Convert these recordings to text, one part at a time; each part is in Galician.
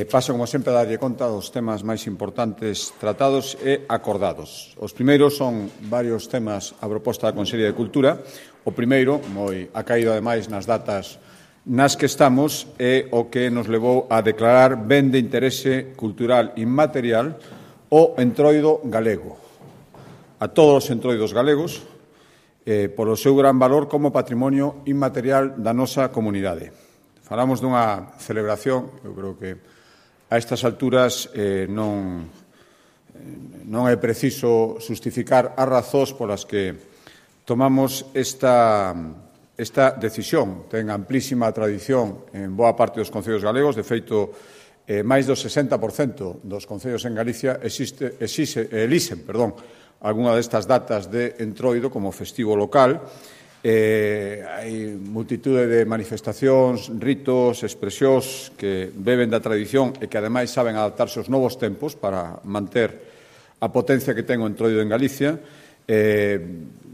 Paso, como sempre, a darlle conta dos temas máis importantes tratados e acordados. Os primeiros son varios temas a proposta da Consellería de Cultura. O primeiro, moi acaído ademais nas datas nas que estamos, é o que nos levou a declarar ben de interese cultural inmaterial o entroido galego. A todos os entroidos galegos, polo seu gran valor como patrimonio inmaterial da nosa comunidade. Falamos dunha celebración, eu creo que a estas alturas non é preciso justificar as razóns polas que tomamos esta decisión. Ten amplísima tradición en boa parte dos concellos galegos. De feito, máis do 60% dos concellos en Galicia elixen algunha destas datas de entroido como festivo local. Hai multitude de manifestacións, ritos, expresións que beben da tradición e que, ademais, saben adaptarse aos novos tempos para manter a potencia que ten o entroido en Galicia.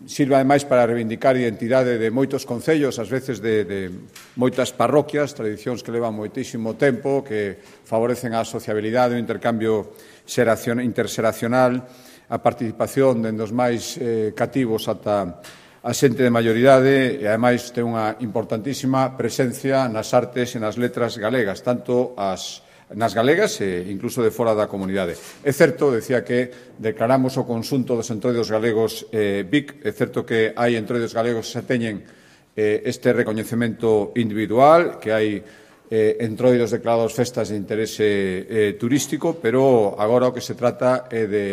Sirve, ademais, para reivindicar a identidade de moitos concellos, ás veces de moitas parroquias, tradicións que levan moitísimo tempo, que favorecen a sociabilidade, o intercambio interxeracional, a participación dende os máis cativos ata a xente de maioridade e, ademais, ten unha importantísima presencia nas artes e nas letras galegas, tanto nas galegas e incluso de fora da comunidade. É certo, decía, que declaramos o conxunto dos entroidos galegos BIC, é certo que hai entroidos galegos que xa teñen este recoñecemento individual, que hai entroidos declarados festas de interese turístico, pero agora o que se trata é de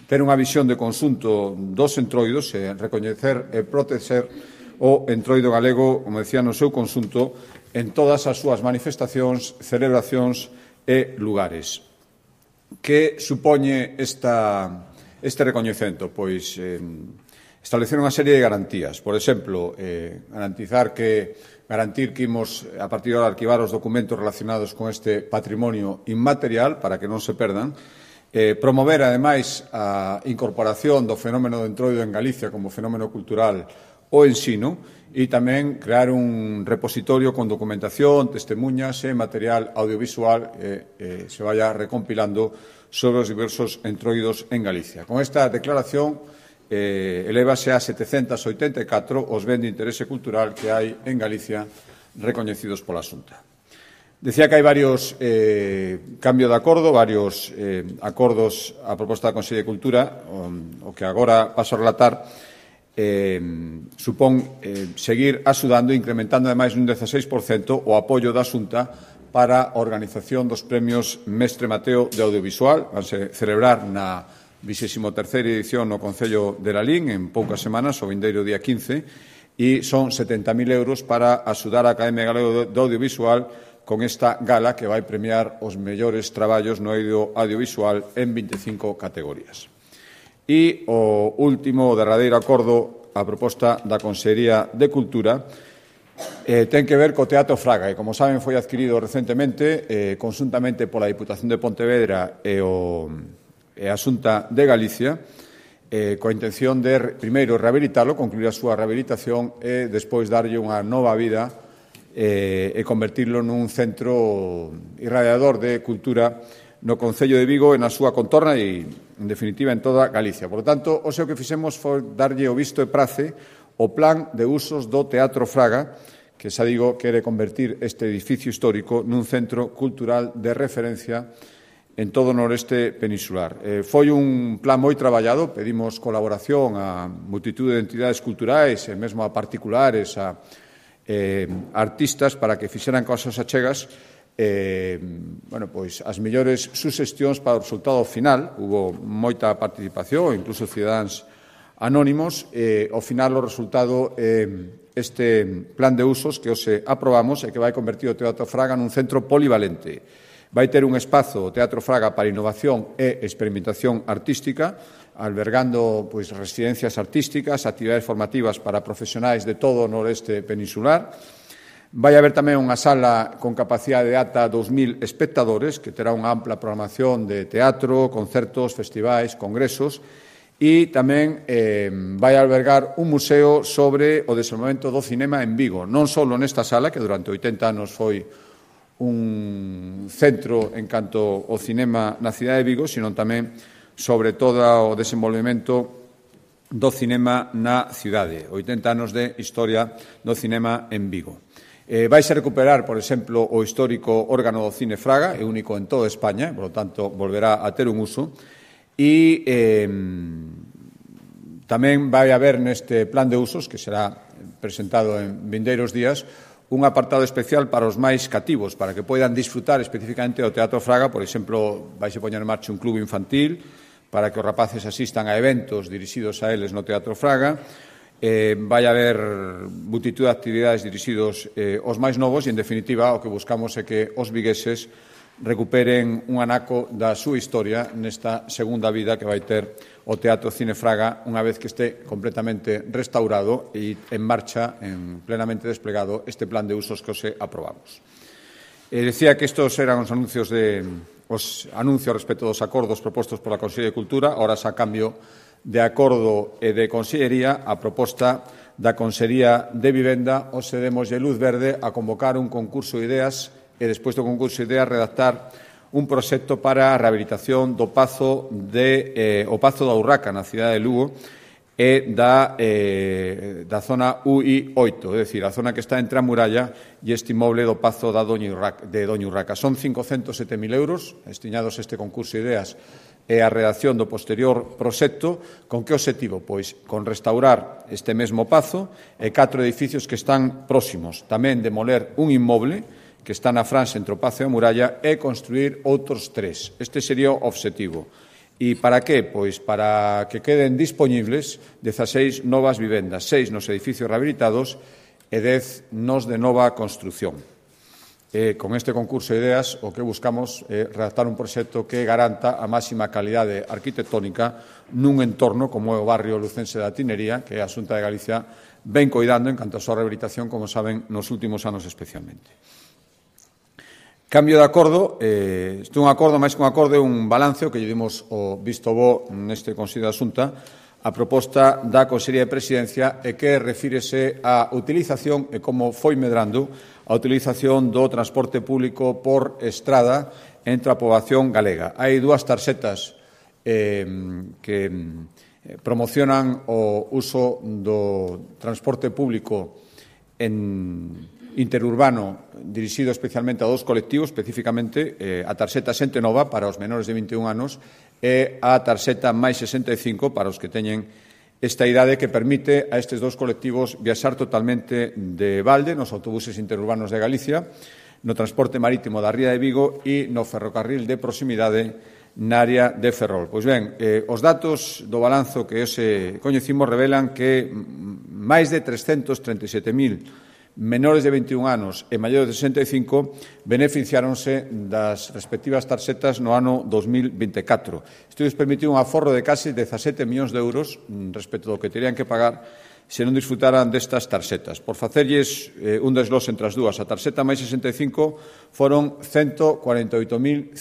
ter unha visión de conxunto dos entroidos e recoñecer e proteger o entroido galego, como decía, no seu conxunto, en todas as súas manifestacións, celebracións e lugares. Que supoñe este recoñecemento? Pois establecer unha serie de garantías. Por exemplo, garantir que imos, a partir de arquivar os documentos relacionados con este patrimonio inmaterial para que non se perdan. Promover, ademais, a incorporación do fenómeno do entroido en Galicia como fenómeno cultural o ensino e tamén crear un repositorio con documentación, testemunhas e material audiovisual que se vaya recompilando sobre os diversos entroidos en Galicia. Con esta declaración elévase a 784 os ben de interese cultural que hai en Galicia recoñecidos pola Xunta. Decía que hai varios cambios de acordo, varios acordos a proposta da Consellería de Cultura. O que agora paso a relatar supón seguir axudando e incrementando ademais un 16% o apoio da Xunta para a organización dos premios Mestre Mateo de Audiovisual. Vanse celebrar na 23ª edición no Concello de Lalín en poucas semanas, o vindeiro día 15, e son 70.000 euros para axudar a Academia Galega do Audiovisual con esta gala que vai premiar os mellores traballos no eido audiovisual en 25 categorías. E o último, o derradeiro acordo a proposta da Consellería de Cultura ten que ver co Teatro Fraga, que, como saben, foi adquirido recentemente conxuntamente pola Diputación de Pontevedra e a Xunta de Galicia, coa intención de, primeiro, rehabilitalo, concluir a súa rehabilitación e, despois, darlle unha nova vida e convertirlo nun centro irradiador de cultura no Concello de Vigo e na súa contorna e, en definitiva, en toda Galicia. Por tanto, o que fixemos foi darlle o visto e prace o plan de usos do Teatro Fraga, que, xa digo, quere convertir este edificio histórico nun centro cultural de referencia en todo o noreste peninsular. Foi un plan moi traballado, pedimos colaboración a multitude de entidades culturais e mesmo a particulares, a artistas, para que fixeran cosas achegas as mellores suxestións para o resultado final. Hubo moita participación, incluso cidadáns anónimos. Ao final, o resultado este plan de usos que hoxe aprobamos e que vai convertir o Teatro Fraga nun centro polivalente. Vai ter un espazo, o Teatro Fraga, para innovación e experimentación artística, albergando residencias artísticas, actividades formativas para profesionais de todo o noreste peninsular. Vai haber tamén unha sala con capacidade de ata 2.000 espectadores, que terá unha ampla programación de teatro, concertos, festivais, congresos, e tamén vai albergar un museo sobre o desenvolvemento do cinema en Vigo, non só nesta sala, que durante 80 anos foi un centro en canto ao cinema na cidade de Vigo, sino tamén sobre todo o desenvolvemento do cinema na cidade, 80 anos de historia do cinema en Vigo. Vaise recuperar, por exemplo, o histórico órgano do Cine Fraga, é único en toda España, por lo tanto, volverá a ter un uso, e tamén vai haber neste plan de usos, que será presentado en vindeiros días, un apartado especial para os máis cativos, para que poidan disfrutar especificamente do Teatro Fraga. Por exemplo, vaise poñer en marcha un club infantil para que os rapaces asistan a eventos dirixidos a eles no Teatro Fraga. Vai haber multitud de actividades dirixidos aos máis novos e, en definitiva, o que buscamos é que os vigueses recuperen un anaco da súa historia nesta segunda vida que vai ter o Teatro Cine Fraga unha vez que este completamente restaurado e en marcha, plenamente desplegado, este plan de usos que os aprobamos. Decía que estos eran os anuncios respecto dos acordos propostos pola Consellería de Cultura. Ahora, a cambio de acordo e de Consellería, a proposta da Consellería de Vivenda, os demoslle luz verde a convocar un concurso de ideas e, despois do concurso de ideas, redactar un proxecto para a rehabilitación do Pazo da Urraca, na cidade de Lugo, e da zona UI8, é dicir, a zona que está entre a muralla e este inmoble do Pazo de Doña Urraca. Son 507.000 euros destinados a este concurso de ideas e a redacción do posterior proxecto. Con que obxectivo? Pois con restaurar este mesmo pazo e 4 edificios que están próximos. Tamén demoler un inmoble que está na franxa entre o pazo e a muralla e construir outros 3. Este sería o obxectivo. E para que? Pois para que queden dispoñibles 16 novas vivendas, 6 nos edificios rehabilitados e 10 nos de nova construción. Con este concurso de ideas, o que buscamos é redactar un proxecto que garanta a máxima calidade arquitectónica nun entorno como é o barrio lucense da Tinería, que a Xunta de Galicia ven coidando en canto a súa rehabilitación, como saben, nos últimos anos especialmente. Cambio de acordo, este é un acordo, máis que un acordo, é un balance que lle dimos o visto bo neste Consello da Xunta a proposta da Consellería de Presidencia e que refírese á utilización e como foi medrando a utilización do transporte público por estrada entre a poboación galega. Hai 2 tarxetas que promocionan o uso do transporte público interurbano dirixido especialmente a 2 colectivos, especificamente a tarxeta Xente Nova para os menores de 21 anos e a tarxeta máis 65 para os que teñen esta idade, que permite a estes 2 colectivos viaxar totalmente de balde nos autobuses interurbanos de Galicia, no transporte marítimo da Ría de Vigo e no ferrocarril de proximidade na área de Ferrol. Pois ben, os datos do balanzo que hoxe coñecimos revelan que máis de 337.000 menores de 21 anos e maiores de 65 beneficiáronse das respectivas tarxetas no ano 2024. Isto lles permitiu un aforro de case 17 millóns de euros respecto do que terían que pagar se non disfrutaran destas tarxetas. Por facerlles un desglose entre as dúas, a tarxeta máis 65 foron 148.500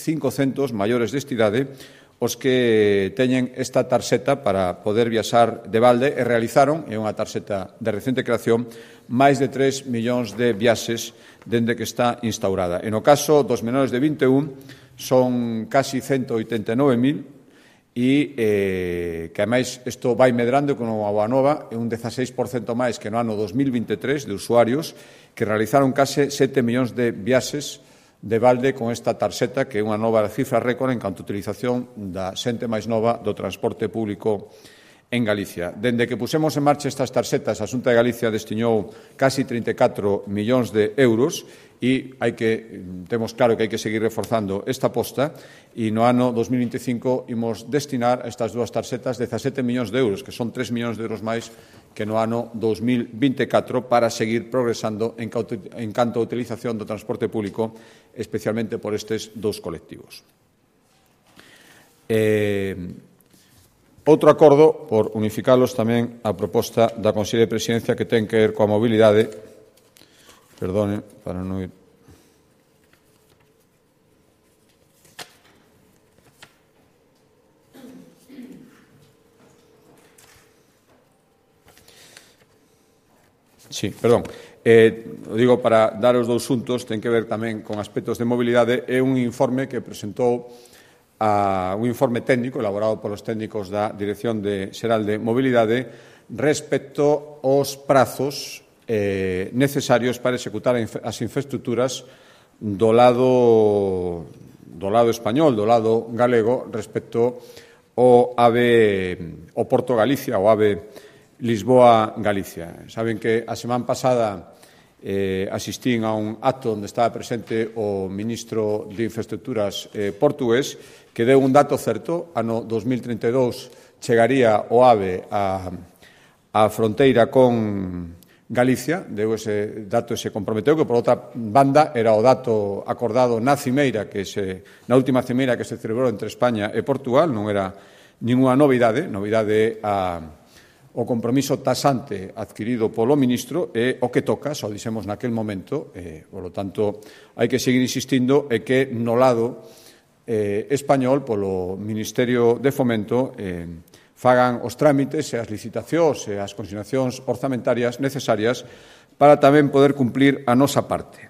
maiores de idade os que teñen esta tarxeta para poder viaxar de balde e realizaron, é unha tarxeta de recente creación, máis de 3 millóns de viaxes dende que está instaurada. E no caso dos menores de 21 son casi 189.000 e que, ademais, isto vai medrando con a boa nova, é un 16% máis que no ano 2023 de usuarios que realizaron case 7 millóns de viaxes de balde con esta tarxeta, que é unha nova cifra récord en canto a utilización da xente máis nova do transporte público en Galicia. Dende que pusemos en marcha estas tarxetas, a Xunta de Galicia destinou casi 34 millóns de euros e temos claro que hai que seguir reforzando esta aposta e no ano 2025 imos destinar a estas 2 tarxetas 17 millóns de euros, que son 3 millóns de euros máis que no ano 2024 para seguir progresando en canto a utilización do transporte público, especialmente por estes 2 colectivos. Outro acordo, por unificalos tamén a proposta da Consellería de Presidencia que ten que ver coa mobilidade. Perdone, para non ir. Sí, perdón. O digo para dar os dous xuntos, ten que ver tamén con aspectos de mobilidade, é un informe que presentou un informe técnico elaborado polos técnicos da Dirección Xeral de Mobilidade respecto aos prazos necesarios para executar as infraestructuras do lado español, do lado galego, respecto ao Porto Galicia, ao AVE Lisboa-Galicia. Saben que a semana pasada asistín a un acto onde estaba presente o ministro de Infraestructuras portugués, que deu un dato certo. Ano 2032 chegaría o AVE á fronteira con Galicia, deu ese dato e se comprometeu, que por outra banda era o dato acordado na cimeira, na última cimeira que se celebrou entre España e Portugal. Non era ninguna novidade o compromiso tasante adquirido polo ministro é o que toca, só dixemos naquel momento, polo tanto, hai que seguir insistindo e que no lado español, polo Ministerio de Fomento, fagan os trámites e as licitacións e as consignacións orzamentarias necesarias para tamén poder cumplir a nosa parte.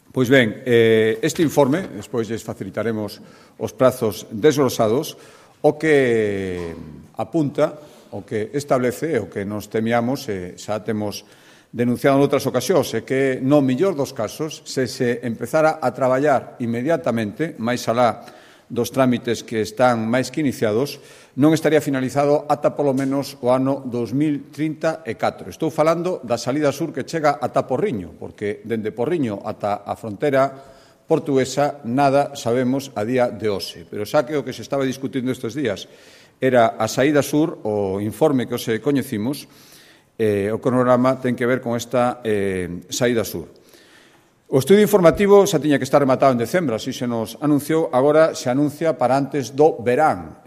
Pois ben, este informe, despois lles facilitaremos os prazos desglosados, o que apunta, o que establece, o que nos temíamos, xa temos denunciado en outras ocasións, é que no mellor dos casos, se empezara a traballar inmediatamente, máis alá dos trámites que están máis que iniciados, non estaría finalizado ata polo menos o ano 2034. Estou falando da salida sur que chega ata Porriño, porque dende Porriño ata a fronteira portuguesa nada sabemos a día de hoxe. Pero xa que o que se estaba discutindo estes días era a saída sur, o informe que hoxe coñecimos, o cronograma ten que ver con esta saída sur. O estudio informativo xa tiña que estar rematado en decembro, así se nos anunciou, agora se anuncia para antes do verán.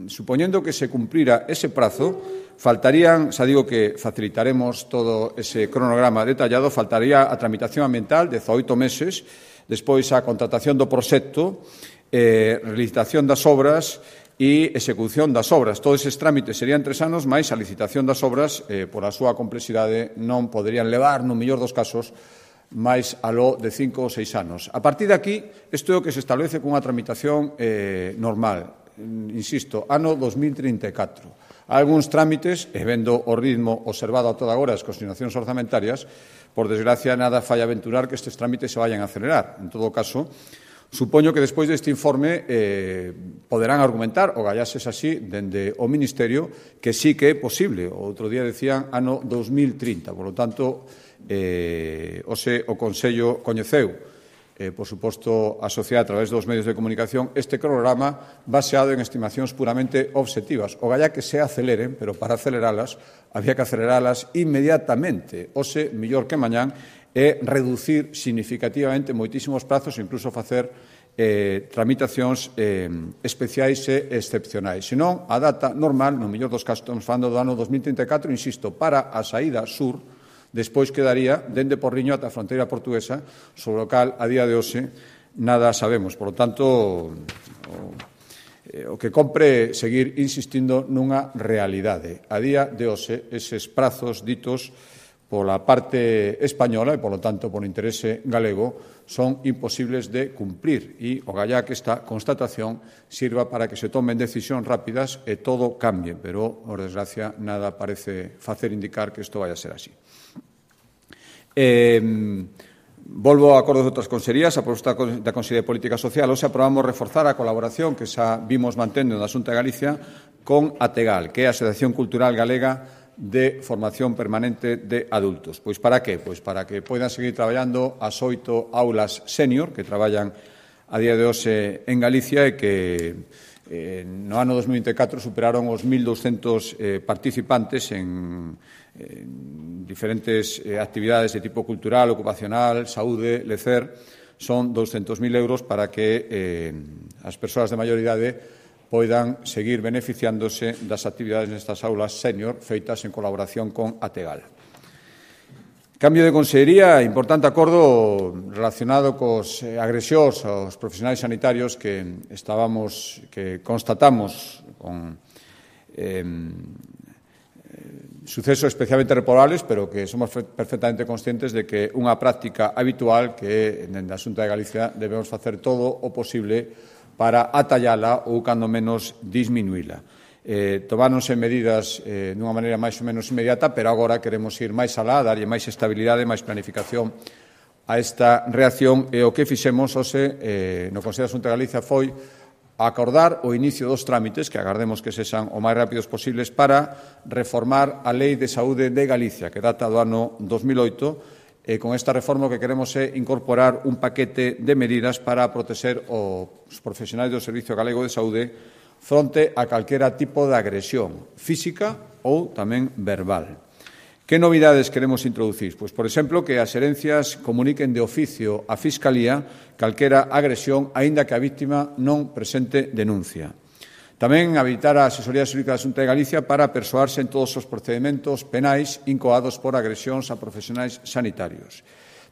Supoñendo que se cumprira ese prazo, faltarían, xa digo que facilitaremos todo ese cronograma detallado, faltaría a tramitación ambiental, 18 meses, despois a contratación do proxecto, licitación das obras e execución das obras. Todos eses trámites serían 3 anos, máis a licitación das obras, por a súa complexidade, non poderían levar, no mellor dos casos, máis aló de 5 ou 6 anos. A partir de aquí, isto é o que se establece cunha tramitación normal. Insisto, ano 2034. Hai algúns trámites, e vendo o ritmo observado a toda agora as consignacións orzamentarias, por desgracia, nada fai aventurar que estes trámites se vayan a acelerar. En todo caso, supoño que despois deste informe poderán argumentar, o gallases así, dende o Ministerio, que sí que é posible. O outro día decían ano 2030. Por lo tanto, o Consello coñeceu, por suposto, a sociedade a través dos medios de comunicación, este cronograma baseado en estimacións puramente obxectivas. O galla que se aceleren, pero para aceleralas, había que aceleralas inmediatamente. Ose, mellor que mañán, é reducir significativamente moitísimos prazos e incluso facer tramitacións especiais e excepcionais. Senón, a data normal, no mellor dos casos, estamos falando do ano 2034, insisto, para a saída sur, despois quedaría dende Porriño ata a fronteira portuguesa, sobre o cal, a día de hoxe, nada sabemos. Por lo tanto, o que compre seguir insistindo nunha realidade. A día de hoxe, eses prazos ditos pola parte española e, polo tanto, por interese galego, son imposibles de cumplir. E o gallá que esta constatación sirva para que se tomen decisións rápidas e todo cambie. Pero, por desgracia, nada parece facer indicar que isto vai a ser así. Volvo a acordos de outras consellerías, a proposta da Consellería de Política Social. Hoxe aprobamos reforzar a colaboración que xa vimos mantendo na Xunta de Galicia con ATEGAL, que é a Asociación Cultural Galega de Formación Permanente de Adultos. Pois para que? Pois para que poidan seguir traballando as 8 aulas senior que traballan a día de hoxe en Galicia e que no ano 2024 superaron os 1.200 participantes en diferentes actividades de tipo cultural, ocupacional, saúde, lecer. Son 200.000 euros para que as persoas de maior idade poidan seguir beneficiándose das actividades nestas aulas senior feitas en colaboración con ATEGAL. Cambio de consellería, importante acordo relacionado cos agresións aos profesionais sanitarios que constatamos con sucesos especialmente reprobables, pero que somos perfectamente conscientes de que unha práctica habitual que dende a Xunta de Galicia debemos facer todo o posible para atallala ou, cando menos, disminuíla. Tomáronse medidas dunha maneira máis ou menos inmediata, pero agora queremos ir máis alá, darlle máis estabilidade, máis planificación a esta reacción, e o que fixemos hoxe no Consello da Xunta de Galicia foi acordar o inicio dos trámites, que agardemos que sexan o máis rápidos posibles, para reformar a Lei de Saúde de Galicia, que data do ano 2008, e con esta reforma o que queremos é incorporar un paquete de medidas para protexer os profesionais do Servicio Galego de Saúde fronte a calquera tipo de agresión física ou tamén verbal. Que novidades queremos introducir? Pois, por exemplo, que as herencias comuniquen de oficio á Fiscalía calquera agresión, aínda que a víctima non presente denuncia. Tamén habilitar a Asesoría Xurídica da Xunta de Galicia para persoarse en todos os procedementos penais incoados por agresións a profesionais sanitarios.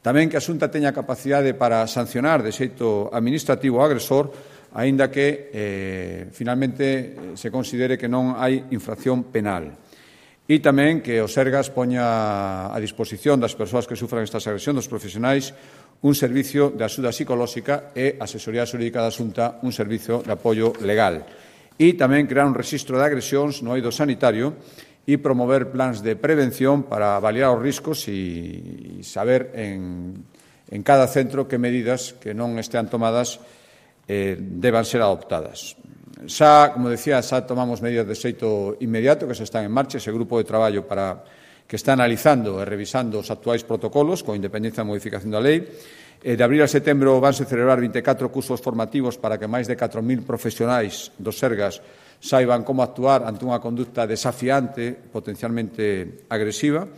Tamén que a Xunta teña capacidade para sancionar de xeito administrativo o agresor, aínda que finalmente se considere que non hai infracción penal. E tamén que o Sergas poña a disposición das persoas que sufran estas agresións dos profesionais un servicio de axuda psicolóxica e a Asesoría Xurídica da Xunta un servicio de apoio legal. E tamén crear un rexistro de agresións no eido sanitario e promover plans de prevención para avaliar os riscos e saber en cada centro que medidas que non estean tomadas deban ser adoptadas. Xa, como decía, xa tomamos medidas de xeito inmediato que xa están en marcha, ese grupo de traballo que está analizando e revisando os actuais protocolos con independencia da modificación da lei. De abril a setembro vanse celebrar 24 cursos formativos para que máis de 4.000 profesionais dos Sergas saiban como actuar ante unha conducta desafiante, potencialmente agresiva,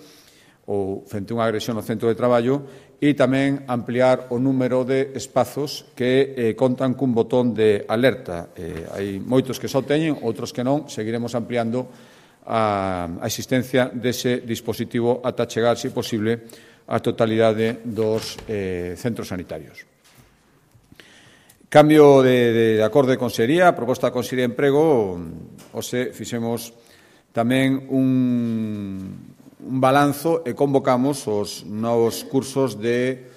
ou frente a unha agresión no centro de traballo, e tamén ampliar o número de espazos que contan cun botón de alerta. Hai moitos que só teñen, outros que non. Seguiremos ampliando a existencia dese dispositivo ata chegar, se posible, a totalidade dos centros sanitarios. Cambio de acordo de consellería, proposta da Consellería de Emprego, hoxe fixemos tamén un balanzo e convocamos os novos cursos de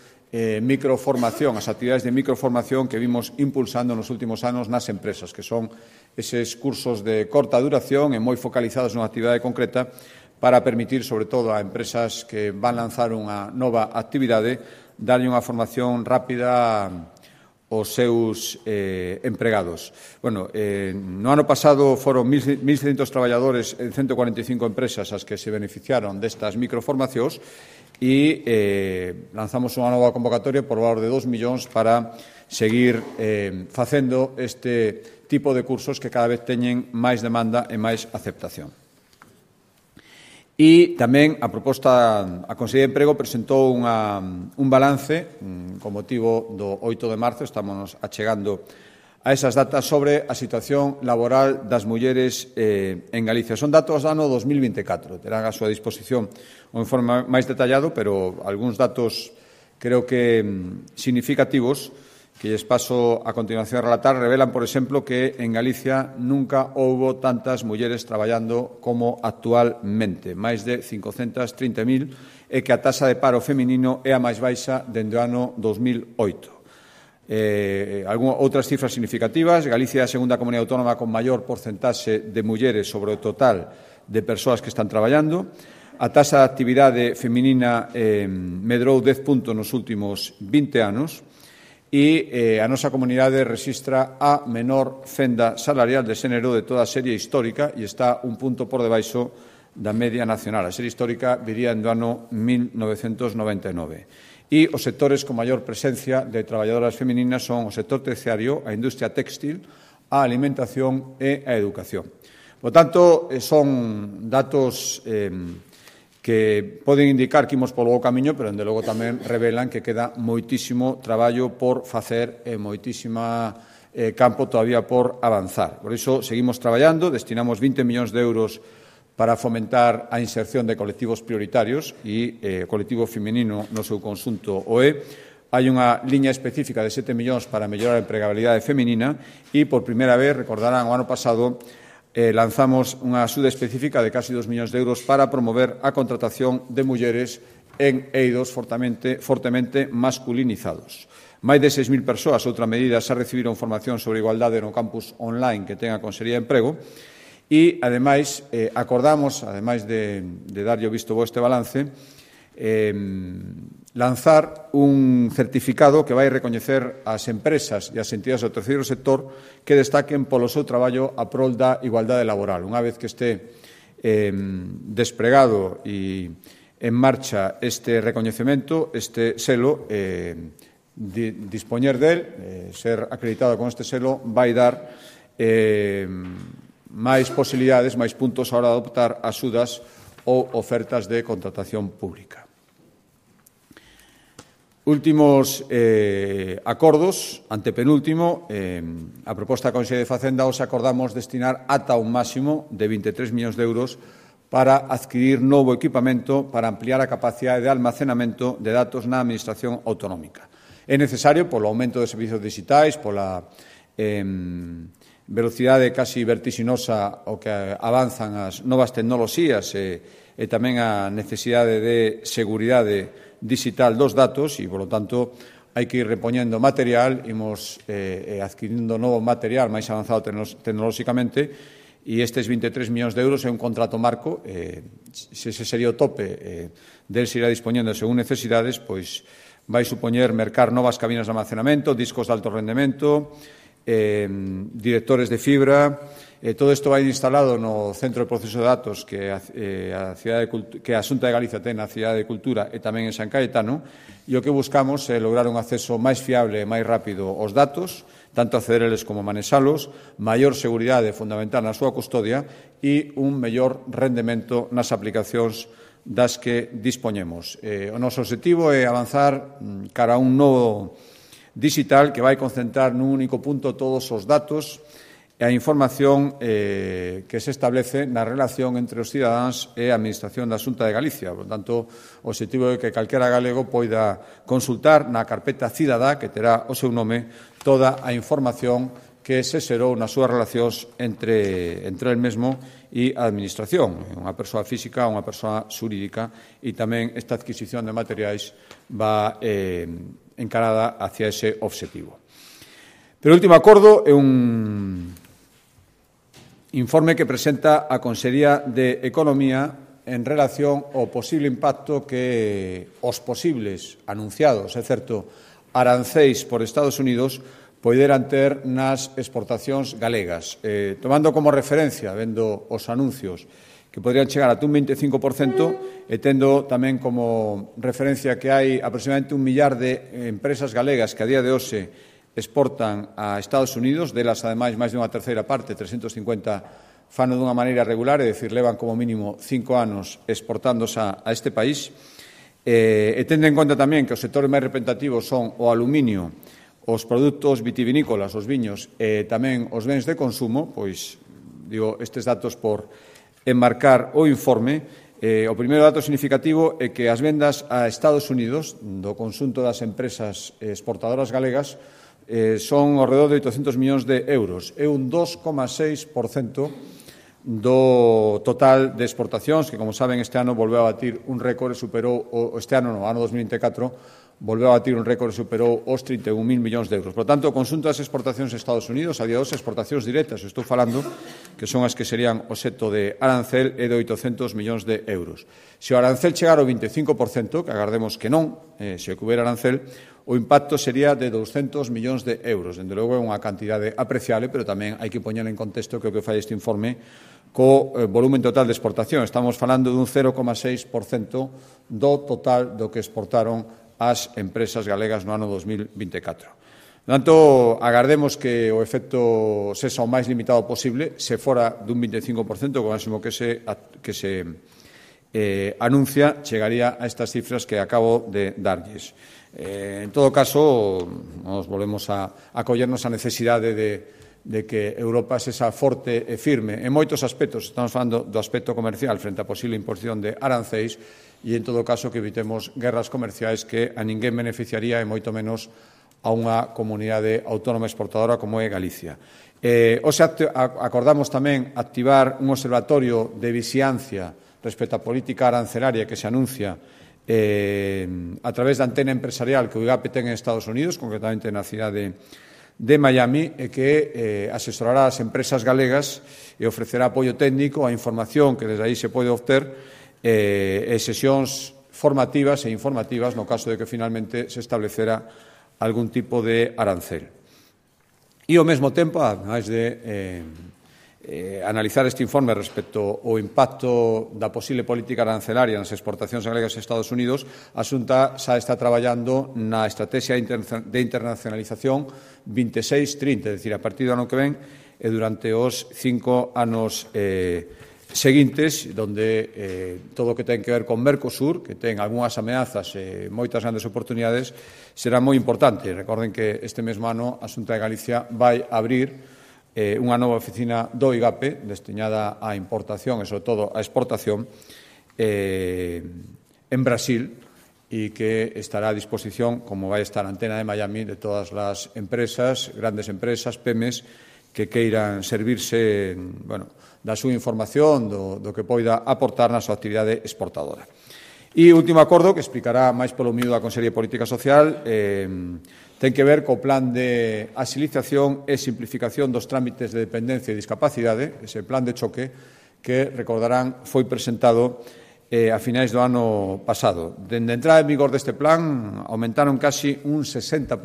microformación, as actividades de microformación que vimos impulsando nos últimos anos nas empresas, que son eses cursos de corta duración e moi focalizados nunha actividade concreta para permitir, sobre todo, a empresas que van lanzar unha nova actividade, darlle unha formación rápida os seus empregados. Bueno, no ano pasado foron 1.600 traballadores en 145 empresas as que se beneficiaron destas microformacións e lanzamos unha nova convocatoria por valor de 2 millóns para seguir facendo este tipo de cursos que cada vez teñen máis demanda e máis aceptación. E tamén a Consellería de Emprego presentou un balance con motivo do 8 de marzo, estamos achegando a esas datas sobre a situación laboral das mulleres en Galicia. Son datos do ano 2024, terán a súa disposición un informe máis detallado, pero algúns datos creo que significativos que lles paso a continuación a relatar, revelan, por exemplo, que en Galicia nunca houbo tantas mulleres traballando como actualmente, máis de 530.000, e que a taxa de paro feminino é a máis baixa dende o ano 2008. Outras cifras significativas: Galicia é a segunda comunidade autónoma con maior porcentaxe de mulleres sobre o total de persoas que están traballando. A taxa de actividade feminina medrou 10 puntos nos últimos 20 anos. E a nosa comunidade rexistra a menor fenda salarial de xénero de toda a serie histórica e está un punto por debaixo da media nacional. A serie histórica viría do ano 1999. E os sectores con maior presencia de traballadoras femininas son o sector terciario, a industria téxtil, a alimentación e a educación. Por tanto, son datos que poden indicar que imos polo bo camiño, pero, dende logo, tamén revelan que queda moitísimo traballo por facer e moitísima campo todavía por avanzar. Por iso, seguimos traballando, destinamos 20 millóns de euros para fomentar a inserción de colectivos prioritarios e o colectivo feminino no seu conxunto Hai unha liña específica de 7 millóns para mellorar a empregabilidade feminina e, por primeira vez, recordarán, o ano pasado, lanzamos unha axuda específica de casi 2 millóns de euros para promover a contratación de mulleres en eidos fortemente masculinizados. Máis de 6.000 persoas, outra medida, xa recibiron formación sobre igualdade no campus online que ten a Consellería de Emprego e, ademais, acordamos, ademais de darlle o visto bo este balance, lanzar un certificado que vai recoñecer as empresas e as entidades do terceiro sector que destaquen polo seu traballo a prol da igualdade laboral. Unha vez que este desplegado e en marcha este recoñecemento, este selo, dispoñer del, ser acreditado con este selo, vai dar máis posibilidades, máis puntos a hora de optar a axudas ou ofertas de contratación pública. Últimos acordos, antepenúltimo, a proposta da Consellería de Facenda os acordamos destinar ata un máximo de 23 millóns de euros para adquirir novo equipamento para ampliar a capacidade de almacenamento de datos na Administración autonómica. É necesario polo aumento de servizos digitais, pola velocidade casi vertixinosa o que avanzan as novas tecnoloxías e tamén a necesidade de seguridade digital dos datos e, polo tanto, hai que ir repoñendo material, imos adquirindo novo material máis avanzado tecnolóxicamente e estes 23 millóns de euros é un contrato marco, se ese sería o tope del se irá dispoñendo según necesidades, pois vai supoñer mercar novas cabinas de almacenamento, discos de alto rendemento, directores de fibra. Todo isto vai instalado no Centro de Proceso de Datos que a Xunta de Galicia ten na Cidade de Cultura e tamén en San Caetano, e o que buscamos é lograr un acceso máis fiable e máis rápido aos datos, tanto acceder eles como manesalos, maior seguridade fundamental na súa custodia e un mellor rendemento nas aplicacións das que dispoñemos. O noso objetivo é avanzar cara a un novo digital que vai concentrar nun único punto todos os datos e a información que se establece na relación entre os cidadáns e a Administración da Xunta de Galicia. Por tanto, o objetivo é que calquera galego poida consultar na carpeta cidadá, que terá o seu nome, toda a información que se xerou nas súas relacións entre el mesmo e a Administración, unha persoa física ou unha persoa xurídica, e tamén esta adquisición de materiais va encarada hacia ese objetivo. Pero o último acordo é un informe que presenta a Consellería de Economía en relación ao posible impacto que os posibles anunciados, é certo, arancéis por Estados Unidos poideran ter nas exportacións galegas. Tomando como referencia, vendo os anuncios, que podrían chegar a un 25%, e tendo tamén como referencia que hai aproximadamente 1 millar de empresas galegas que a día de hoxe exportan a Estados Unidos, delas, ademais, máis de unha terceira parte, 350, fano dunha maneira regular, é dicir, levan como mínimo 5 anos exportándose a este país, e tendo en conta tamén que os sectores máis representativos son o aluminio, os produtos vitivinícolas, os viños e tamén os bens de consumo, pois, digo, estes datos por enmarcar o informe. O primeiro dato significativo é que as vendas a Estados Unidos do conxunto das empresas exportadoras galegas son ao redor de 800 millóns de euros. É un 2,6% do total de exportacións, que, como saben, este ano volveu a batir un récord e superou, este ano, no ano 2024, volveu a batir un récord e superou os 31.000 millóns de euros. Por tanto, o conxunto das exportacións a Estados Unidos, a día de hoxe, exportacións directas, estou falando, que son as que serían obxecto de arancel, é de 800 millóns de euros. Se o arancel chegar ao 25%, que agardemos que non, se o que hubiera arancel, o impacto sería de 200 millóns de euros. Dende logo, é unha cantidade apreciable, pero tamén hai que poñer en contexto que o que fai este informe co volumen total de exportación. Estamos falando dun 0,6% do total do que exportaron as empresas galegas no ano 2024. Por tanto, agardemos que o efecto sexa o máis limitado posible. Se fora dun 25%, o máximo que se anuncia, chegaría a estas cifras que acabo de darlles. En todo caso, nos volvemos a acollernos a necesidade de que Europa sexa forte e firme en moitos aspectos. Estamos falando do aspecto comercial frente á posible imposición de arancéis e, en todo caso, que evitemos guerras comerciais que a ninguén beneficiaría e moito menos a unha comunidade autónoma exportadora como é Galicia. Hoxe acordamos tamén activar un observatorio de vixiancia respecto á política arancelaria que se anuncia a través da antena empresarial que o IGAP ten en Estados Unidos, concretamente na cidade de Miami, e que asesorará as empresas galegas e ofrecerá apoio técnico a información que desde aí se pode obter e sesións formativas e informativas no caso de que finalmente se establecera algún tipo de arancel. E ao mesmo tempo, ademais de analizar este informe respecto ao impacto da posible política arancelaria nas exportacións galegas a Estados Unidos, a Xunta xa está traballando na estrategia de internacionalización 26-30, é dicir, a partir do ano que ven e durante os 5 anos seguintes, donde todo o que ten que ver con Mercosur, que ten algunhas ameazas e moitas grandes oportunidades, será moi importante. Recorden que este mesmo ano a Xunta de Galicia vai abrir unha nova oficina do IGAP destinada á importación e, sobre todo, á exportación en Brasil e que estará a disposición, como vai estar a antena de Miami, de todas as empresas, grandes empresas, PEMES, que queiran servirse da súa información, do que poida aportar na súa actividade exportadora. E o último acordo, que explicará máis polo miúdo a Consellería de Política Social, ten que ver co plan de axilización e simplificación dos trámites de dependencia e discapacidade, ese plan de choque que, recordarán, foi presentado a finais do ano pasado. Dende a entrada en vigor deste plan, aumentaron casi un 60%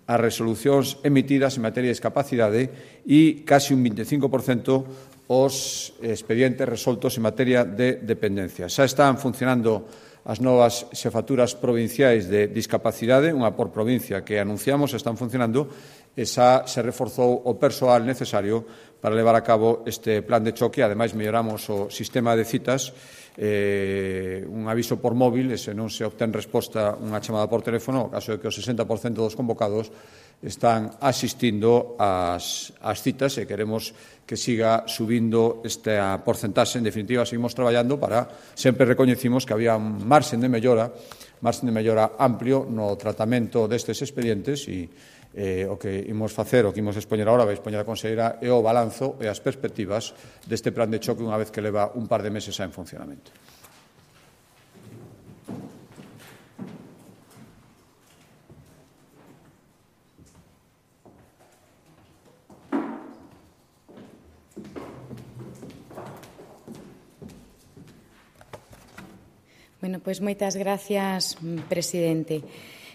as resolucións emitidas en materia de discapacidade e casi un 25% os expedientes resoltos en materia de dependencia. Xa están funcionando as novas xefaturas provinciais de discapacidade, unha por provincia que anunciamos, están funcionando, e xa se reforzou o persoal necesario para levar a cabo este plan de choque. Ademais, melloramos o sistema de citas, un aviso por móvil, e se non se obtén resposta unha chamada por teléfono, o caso é que o 60% dos convocados están asistindo ás citas e queremos que siga subindo esta porcentaxe. En definitiva, seguimos traballando para, sempre recoñecimos que había un marxen de mellora amplio no tratamento destes expedientes e o que imos facer, o que imos expoñer agora, vai expoñer a conselleira, é o balanzo e as perspectivas deste plan de choque unha vez que leva un par de meses xa en funcionamento. Bueno, pois moitas gracias, presidente.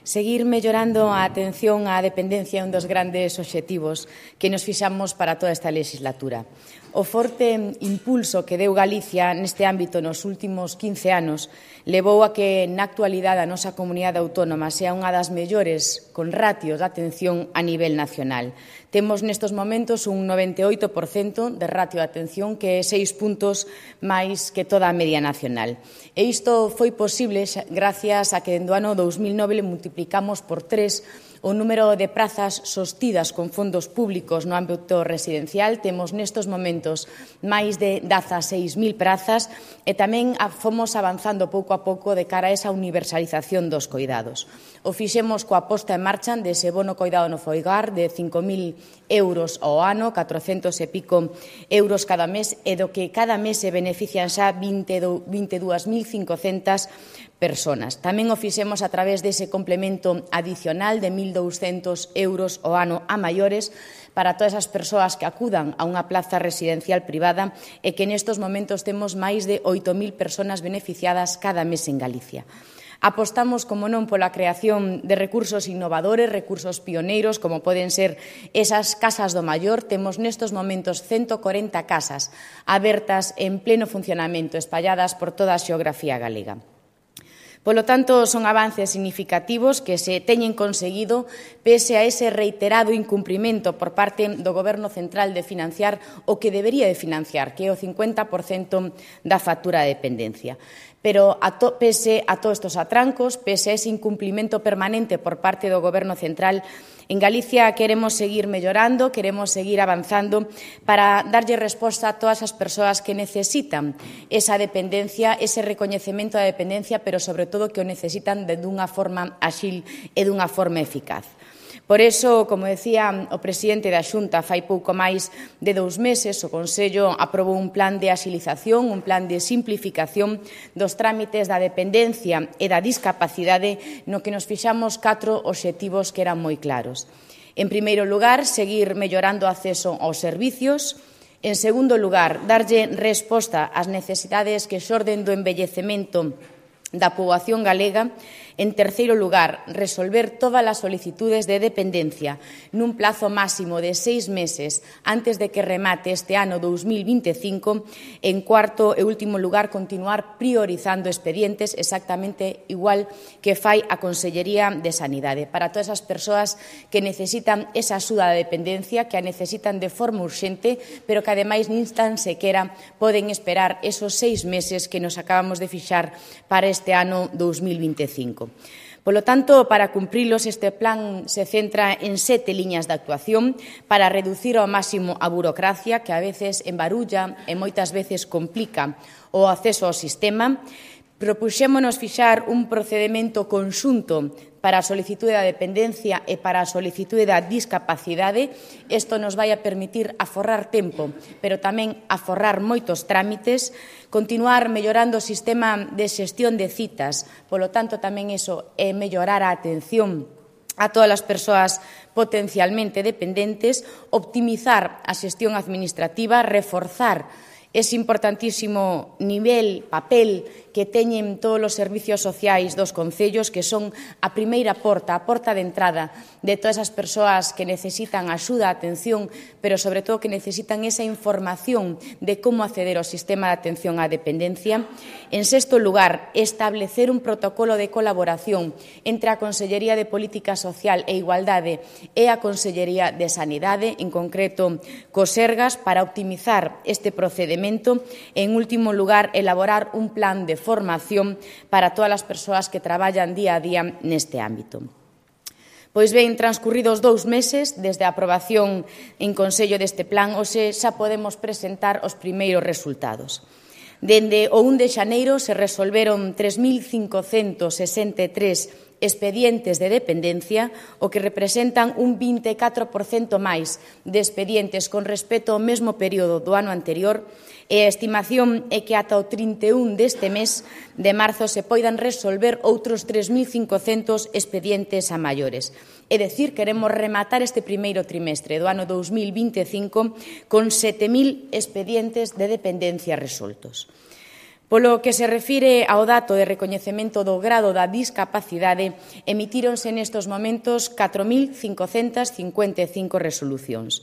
Seguir mellorando a atención á dependencia é un dos grandes obxectivos que nos fixamos para toda esta legislatura. O forte impulso que deu Galicia neste ámbito nos últimos 15 anos levou a que, na actualidade, a nosa comunidade autónoma sea unha das mellores con ratios de atención a nivel nacional. Temos nestes momentos un 98% de ratio de atención, que é 6 puntos máis que toda a media nacional. E isto foi posible gracias a que, dende o ano 2009, multiplicamos por 3 o número de prazas sostidas con fondos públicos no ámbito residencial. Temos nestes momentos máis de 16.000 prazas e tamén fomos avanzando pouco a pouco de cara a esa universalización dos coidados. O fixemos coa posta en marcha dese bono coidado no fogar de 5.000 euros ao ano, 400 e pico euros cada mes, e do que cada mes se benefician xa 22.500 personas. Tamén o fixemos a través dese complemento adicional de 1.200 euros ao ano a maiores para todas as persoas que acudan a unha plaza residencial privada, e que nestes momentos temos máis de 8.000 persoas beneficiadas cada mes en Galicia. Apostamos, como non, pola creación de recursos innovadores, recursos pioneiros, como poden ser esas casas do maior. Temos nestes momentos 140 casas abertas en pleno funcionamento, espalladas por toda a xeografía galega. Polo tanto, son avances significativos que se teñen conseguido pese a ese reiterado incumprimento por parte do Goberno central de financiar o que debería de financiar, que é o 50% da factura de dependencia. Pero, pese a todos estes atrancos, pese a ese incumprimento permanente por parte do Goberno central, En Galicia queremos seguir mellorando, queremos seguir avanzando para darlle resposta a todas as persoas que necesitan esa dependencia, ese recoñecemento da dependencia, pero sobre todo que o necesitan dunha forma áxil e dunha forma eficaz. Por iso, como decía o presidente da Xunta fai pouco máis de 2 meses, o Consello aprobou un plan de axilización, un plan de simplificación dos trámites da dependencia e da discapacidade, no que nos fixamos 4 obxectivos que eran moi claros. En primeiro lugar, seguir mellorando o acceso aos servicios. En segundo lugar, darlle resposta ás necesidades que xorden do envellecemento da poboación galega. En terceiro lugar, resolver todas as solicitudes de dependencia nun plazo máximo de 6 meses antes de que remate este ano 2025. En cuarto e último lugar, continuar priorizando expedientes exactamente igual que fai a Consellería de Sanidade para todas as persoas que necesitan esa axuda de dependencia, que a necesitan de forma urxente, pero que ademais nin tan sequera poden esperar esos 6 meses que nos acabamos de fixar para este ano 2025. Polo tanto, para cumprilos, este plan se centra en 7 liñas de actuación para reducir ao máximo a burocracia que a veces embarulla e moitas veces complica o acceso ao sistema. Propuxémonos fixar un procedemento conxunto para a solicitude da dependencia e para a solicitude da discapacidade. Isto nos vai a permitir aforrar tempo, pero tamén aforrar moitos trámites, continuar mellorando o sistema de xestión de citas, polo tanto tamén iso é mellorar a atención a todas as persoas potencialmente dependentes, optimizar a xestión administrativa, reforzar ese importantísimo papel que teñen todos os servicios sociais dos concellos, que son a primeira porta, a porta de entrada de todas as persoas que necesitan axuda, atención, pero sobre todo que necesitan esa información de como acceder ao sistema de atención á dependencia. En sexto lugar, establecer un protocolo de colaboración entre a Consellería de Política Social e Igualdade e a Consellería de Sanidade, en concreto co Sergas, para optimizar este procedemento. En último lugar, elaborar un plan de formación para todas as persoas que traballan día a día neste ámbito. Pois ben, transcurridos 2 meses desde a aprobación en Consello deste plan, hoxe xa podemos presentar os primeiros resultados. Dende o 1 de xaneiro se resolveron 3.563 expedientes de dependencia, o que representan un 24% máis de expedientes con respecto ao mesmo período do ano anterior, e a estimación é que ata o 31 deste mes de marzo se poidan resolver outros 3.500 expedientes a maiores. É dicir, queremos rematar este primeiro trimestre do ano 2025 con 7.000 expedientes de dependencia resoltos. Polo que se refire ao dato de recoñecemento do grado da discapacidade, emitíronse nestes momentos 4.555 resolucións,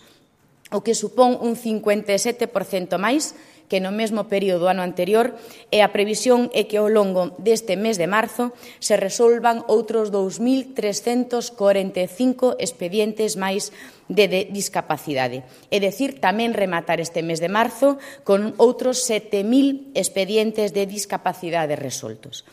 o que supón un 57% máis que no mesmo período do ano anterior, e a previsión é que ao longo deste mes de marzo se resolvan outros 2.345 expedientes máis de discapacidade. É dicir, tamén rematar este mes de marzo con outros 7.000 expedientes de discapacidade resoltos.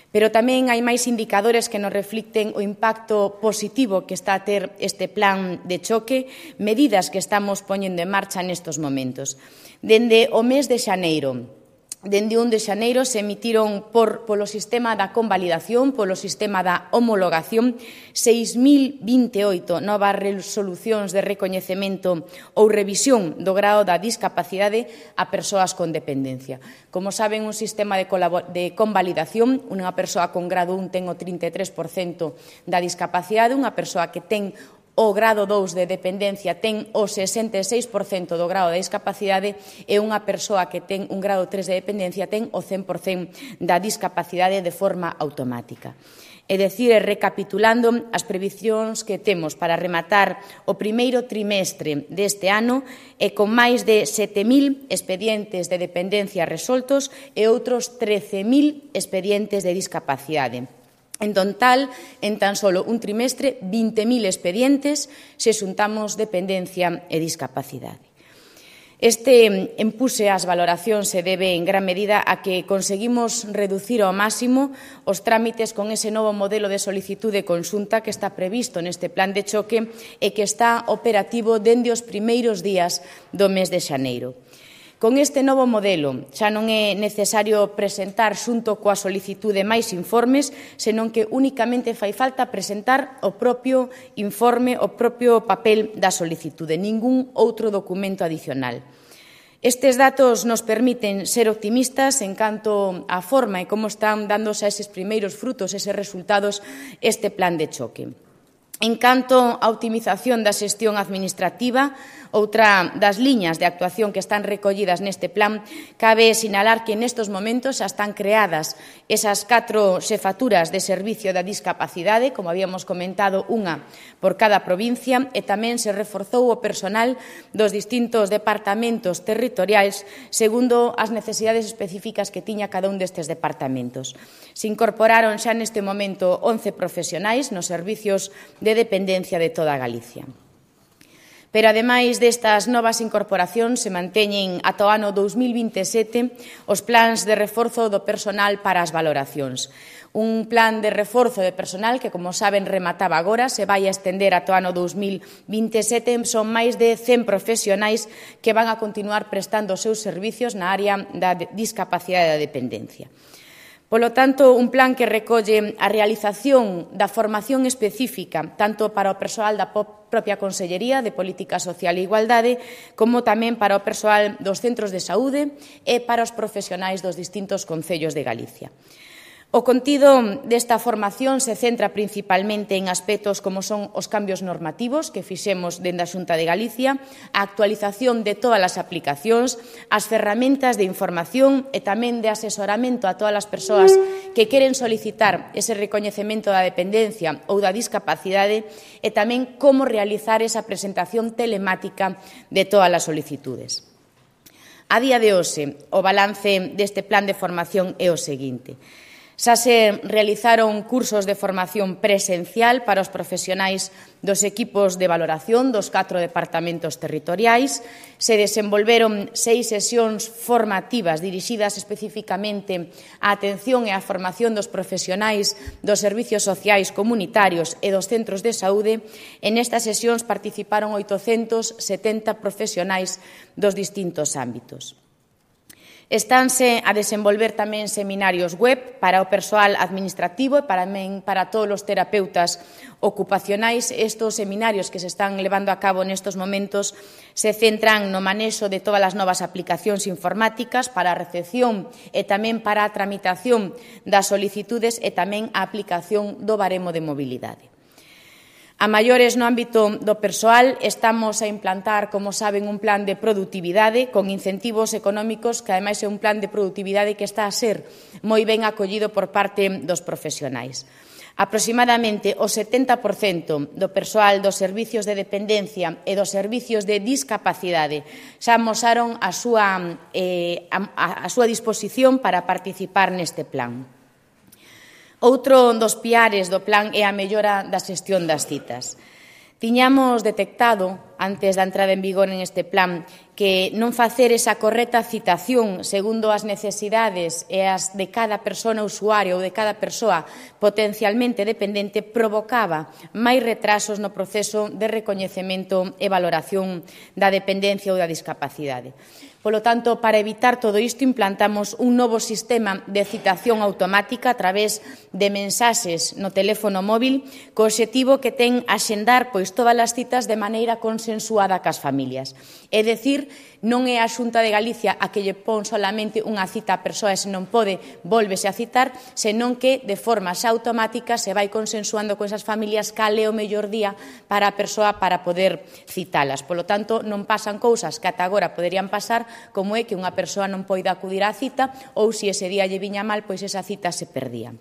Pero tamén hai máis indicadores que nos reflicten o impacto positivo que está a ter este plan de choque, medidas que estamos poñendo en marcha nestes momentos. Dende o mes de xaneiro, dende 1 de xaneiro, se emitiron polo sistema da convalidación, polo sistema da homologación, 6.028 novas resolucións de recoñecemento ou revisión do grado da discapacidade a persoas con dependencia. Como saben, un sistema de convalidación, unha persoa con grado 1 ten o 33% da discapacidade, unha persoa que ten o grado 2 de dependencia ten o 66% do grado de discapacidade, e unha persoa que ten un grado 3 de dependencia ten o 100% da discapacidade de forma automática. É dicir, recapitulando, as previsións que temos para rematar o primeiro trimestre deste ano é con máis de 7.000 expedientes de dependencia resoltos e outros 13.000 expedientes de discapacidade. En total, en tan solo un trimestre, 20.000 expedientes se xuntamos dependencia e discapacidade. Este empuse ás valoracións se debe en gran medida a que conseguimos reducir ao máximo os trámites con ese novo modelo de solicitude conxunta que está previsto neste plan de choque e que está operativo dende os primeiros días do mes de xaneiro. Con este novo modelo xa non é necesario presentar xunto coa solicitude máis informes, senón que únicamente fai falta presentar o propio informe, o propio papel da solicitude, ningún outro documento adicional. Estes datos nos permiten ser optimistas en canto á forma e como están dándose a eses primeiros frutos, eses resultados, este plan de choque. En canto á optimización da xestión administrativa, outra das liñas de actuación que están recollidas neste plan, cabe sinalar que nestes momentos xa están creadas esas 4 xefaturas de servicio da discapacidade, como habíamos comentado, unha por cada provincia, e tamén se reforzou o personal dos distintos departamentos territoriais segundo as necesidades específicas que tiña cada un destes departamentos. Se incorporaron xa neste momento 11 profesionais nos servicios de dependencia de toda Galicia. Pero, ademais destas novas incorporacións, se manteñen ata o ano 2027 os plans de reforzo do personal para as valoracións. Un plan de reforzo de personal que, como saben, remataba agora, se vai a estender ata o ano 2027. Son máis de 100 profesionais que van a continuar prestando os seus servicios na área da discapacidade e da dependencia. Polo tanto, un plan que recolle a realización da formación específica tanto para o persoal da propia Consellería de Política Social e Igualdade como tamén para o persoal dos centros de saúde e para os profesionais dos distintos concellos de Galicia. O contido desta formación se centra principalmente en aspectos como son os cambios normativos que fixemos dende a Xunta de Galicia, a actualización de todas as aplicacións, as ferramentas de información e tamén de asesoramento a todas as persoas que queren solicitar ese recoñecemento da dependencia ou da discapacidade e tamén como realizar esa presentación telemática de todas as solicitudes. A día de hoxe, o balance deste plan de formación é o seguinte. Xa se realizaron cursos de formación presencial para os profesionais dos equipos de valoración dos 4 departamentos territoriais, se desenvolveron 6 sesións formativas dirixidas especificamente á atención e á formación dos profesionais dos servicios sociais comunitarios e dos centros de saúde. En estas sesións participaron 870 profesionais dos distintos ámbitos. Estánse a desenvolver tamén seminarios web para o persoal administrativo e tamén para todos os terapeutas ocupacionais. Estes seminarios que se están levando a cabo nestes momentos se centran no manexo de todas as novas aplicacións informáticas para a recepción e tamén para a tramitación das solicitudes e tamén a aplicación do baremo de mobilidade. A maiores no ámbito do persoal, estamos a implantar, como saben, un plan de produtividade con incentivos económicos que, ademais, é un plan de produtividade que está a ser moi ben acollido por parte dos profesionais. Aproximadamente o 70% do persoal dos servicios de dependencia e dos servicios de discapacidade xa amosaron a súa disposición para participar neste plan. Outro dos piares do plan é a mellora da xestión das citas. Tiñamos detectado, antes da entrada en vigor en este plan, que non facer esa correcta citación segundo as necesidades e as de cada persona usuaria ou de cada persoa potencialmente dependente provocaba máis retrasos no proceso de recoñecemento e valoración da dependencia ou da discapacidade. Polo tanto, para evitar todo isto, implantamos un novo sistema de citación automática a través de mensaxes no teléfono móvil co obxectivo que ten axendar todas as citas de maneira consensuada cas familias. É dicir, non é a Xunta de Galicia a que lle pon solamente unha cita a persoa e se non pode, vólvese a citar, senón que de forma xa automática se vai consensuando con esas familias cal é o mellor día para a persoa para poder citalas. Polo tanto, non pasan cousas que ata agora poderían pasar, como é que unha persoa non poida acudir á cita ou se ese día lle viña mal, pois esa cita se perdía.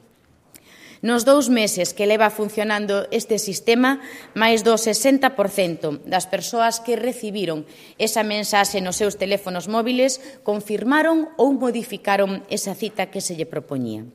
Nos 2 meses que leva funcionando este sistema, máis do 60% das persoas que recibiron esa mensaxe nos seus teléfonos móviles confirmaron ou modificaron esa cita que se lle propoñía.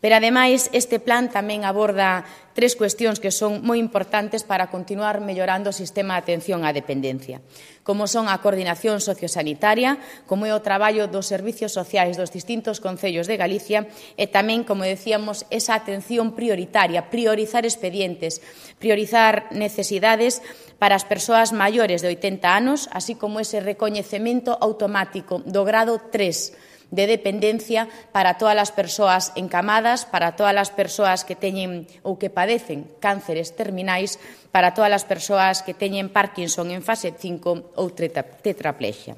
Pero, ademais, este plan tamén aborda 3 cuestións que son moi importantes para continuar mellorando o sistema de atención á dependencia, como son a coordinación sociosanitaria, como é o traballo dos servicios sociais dos distintos concellos de Galicia e tamén, como decíamos, esa atención prioritaria, priorizar expedientes, priorizar necesidades para as persoas maiores de 80 anos, así como ese recoñecemento automático do grado 3 de dependencia para todas as persoas encamadas, para todas as persoas que teñen ou que padecen cánceres terminais, para todas as persoas que teñen Parkinson en fase 5 ou tetraplexia.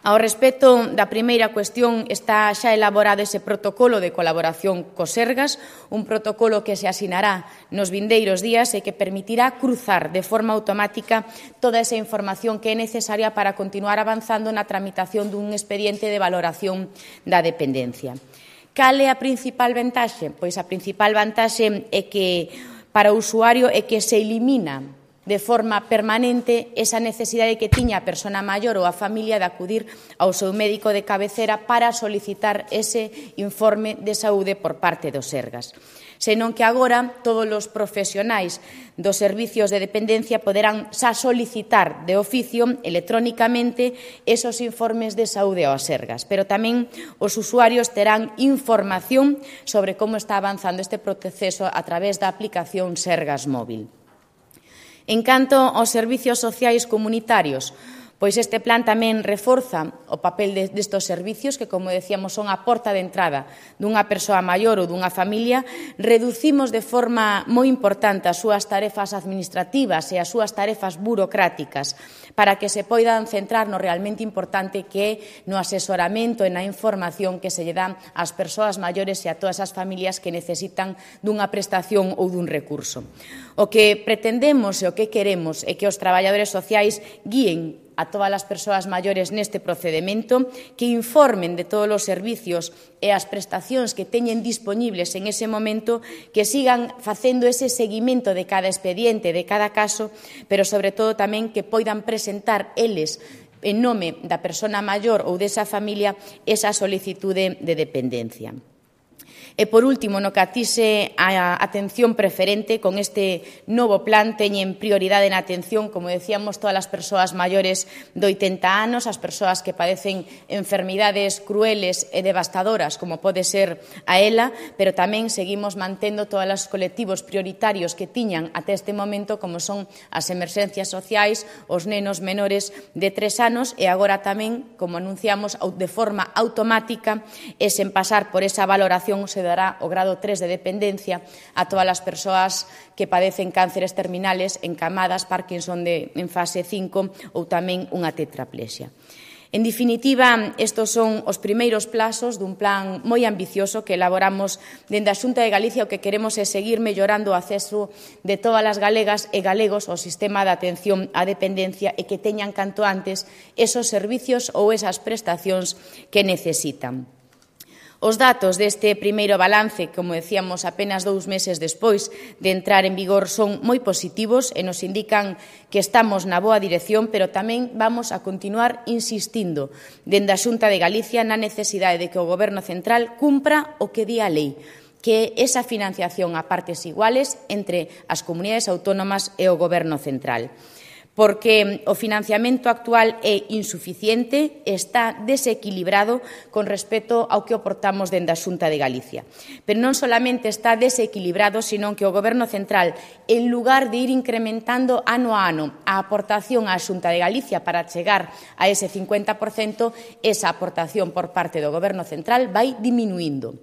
Ao respecto da primeira cuestión, está xa elaborado ese protocolo de colaboración co Sergas, un protocolo que se asinará nos vindeiros días e que permitirá cruzar de forma automática toda esa información que é necesaria para continuar avanzando na tramitación dun expediente de valoración da dependencia. Cal é a principal vantaxe? Pois a principal vantaxe é que para o usuario é que se elimina de forma permanente esa necesidade que tiña a persona maior ou a familia de acudir ao seu médico de cabecera para solicitar ese informe de saúde por parte do Sergas. Senón que agora todos os profesionais dos servicios de dependencia poderán xa solicitar de oficio electrónicamente esos informes de saúde ao Sergas, pero tamén os usuarios terán información sobre como está avanzando este proceso a través da aplicación Sergas Móvil. En canto aos servicios sociais comunitarios, pois este plan tamén reforza o papel destes servicios que, como decíamos, son a porta de entrada dunha persoa maior ou dunha familia. Reducimos de forma moi importante as súas tarefas administrativas e as súas tarefas burocráticas para que se poidan centrar no realmente importante que é no asesoramento e na información que se lle dan ás persoas maiores e a todas as familias que necesitan dunha prestación ou dun recurso. O que pretendemos e o que queremos é que os traballadores sociais guíen a todas as persoas maiores neste procedimento, que informen de todos os servicios e as prestacións que teñen dispoñibles en ese momento, que sigan facendo ese seguimento de cada expediente, de cada caso, pero sobre todo tamén que poidan presentar eles en nome da persona maior ou desa familia esa solicitude de dependencia. E, por último, no que atixe a atención preferente, con este novo plan teñen prioridade na atención, como decíamos, todas as persoas maiores de 80 anos, as persoas que padecen enfermidades crueles e devastadoras, como pode ser a ELA, pero tamén seguimos mantendo todos os colectivos prioritarios que tiñan até este momento, como son as emerxencias sociais, os nenos menores de 3 anos, e agora tamén, como anunciamos, de forma automática e sen pasar por esa valoración se dará o grado 3 de dependencia a todas as persoas que padecen cánceres terminales, encamadas, Parkinson en fase 5 ou tamén unha tetraplexia. En definitiva, estes son os primeiros plazos dun plan moi ambicioso que elaboramos dende a Xunta de Galicia. O que queremos é seguir mellorando o acceso de todas as galegas e galegos ao sistema de atención á dependencia e que teñan canto antes esos servicios ou esas prestacións que necesitan. Os datos deste primeiro balance, como decíamos, apenas 2 meses despois de entrar en vigor, son moi positivos e nos indican que estamos na boa dirección, pero tamén vamos a continuar insistindo dende a Xunta de Galicia na necesidade de que o Goberno central cumpra o que di a lei, que é esa financiación a partes iguales entre as comunidades autónomas e o Goberno central, porque o financiamento actual é insuficiente, está desequilibrado con respecto ao que aportamos dende a Xunta de Galicia. Pero non solamente está desequilibrado, sino que o Goberno central, en lugar de ir incrementando ano a ano a aportación á Xunta de Galicia para chegar a ese 50%, esa aportación por parte do Goberno central vai diminuindo.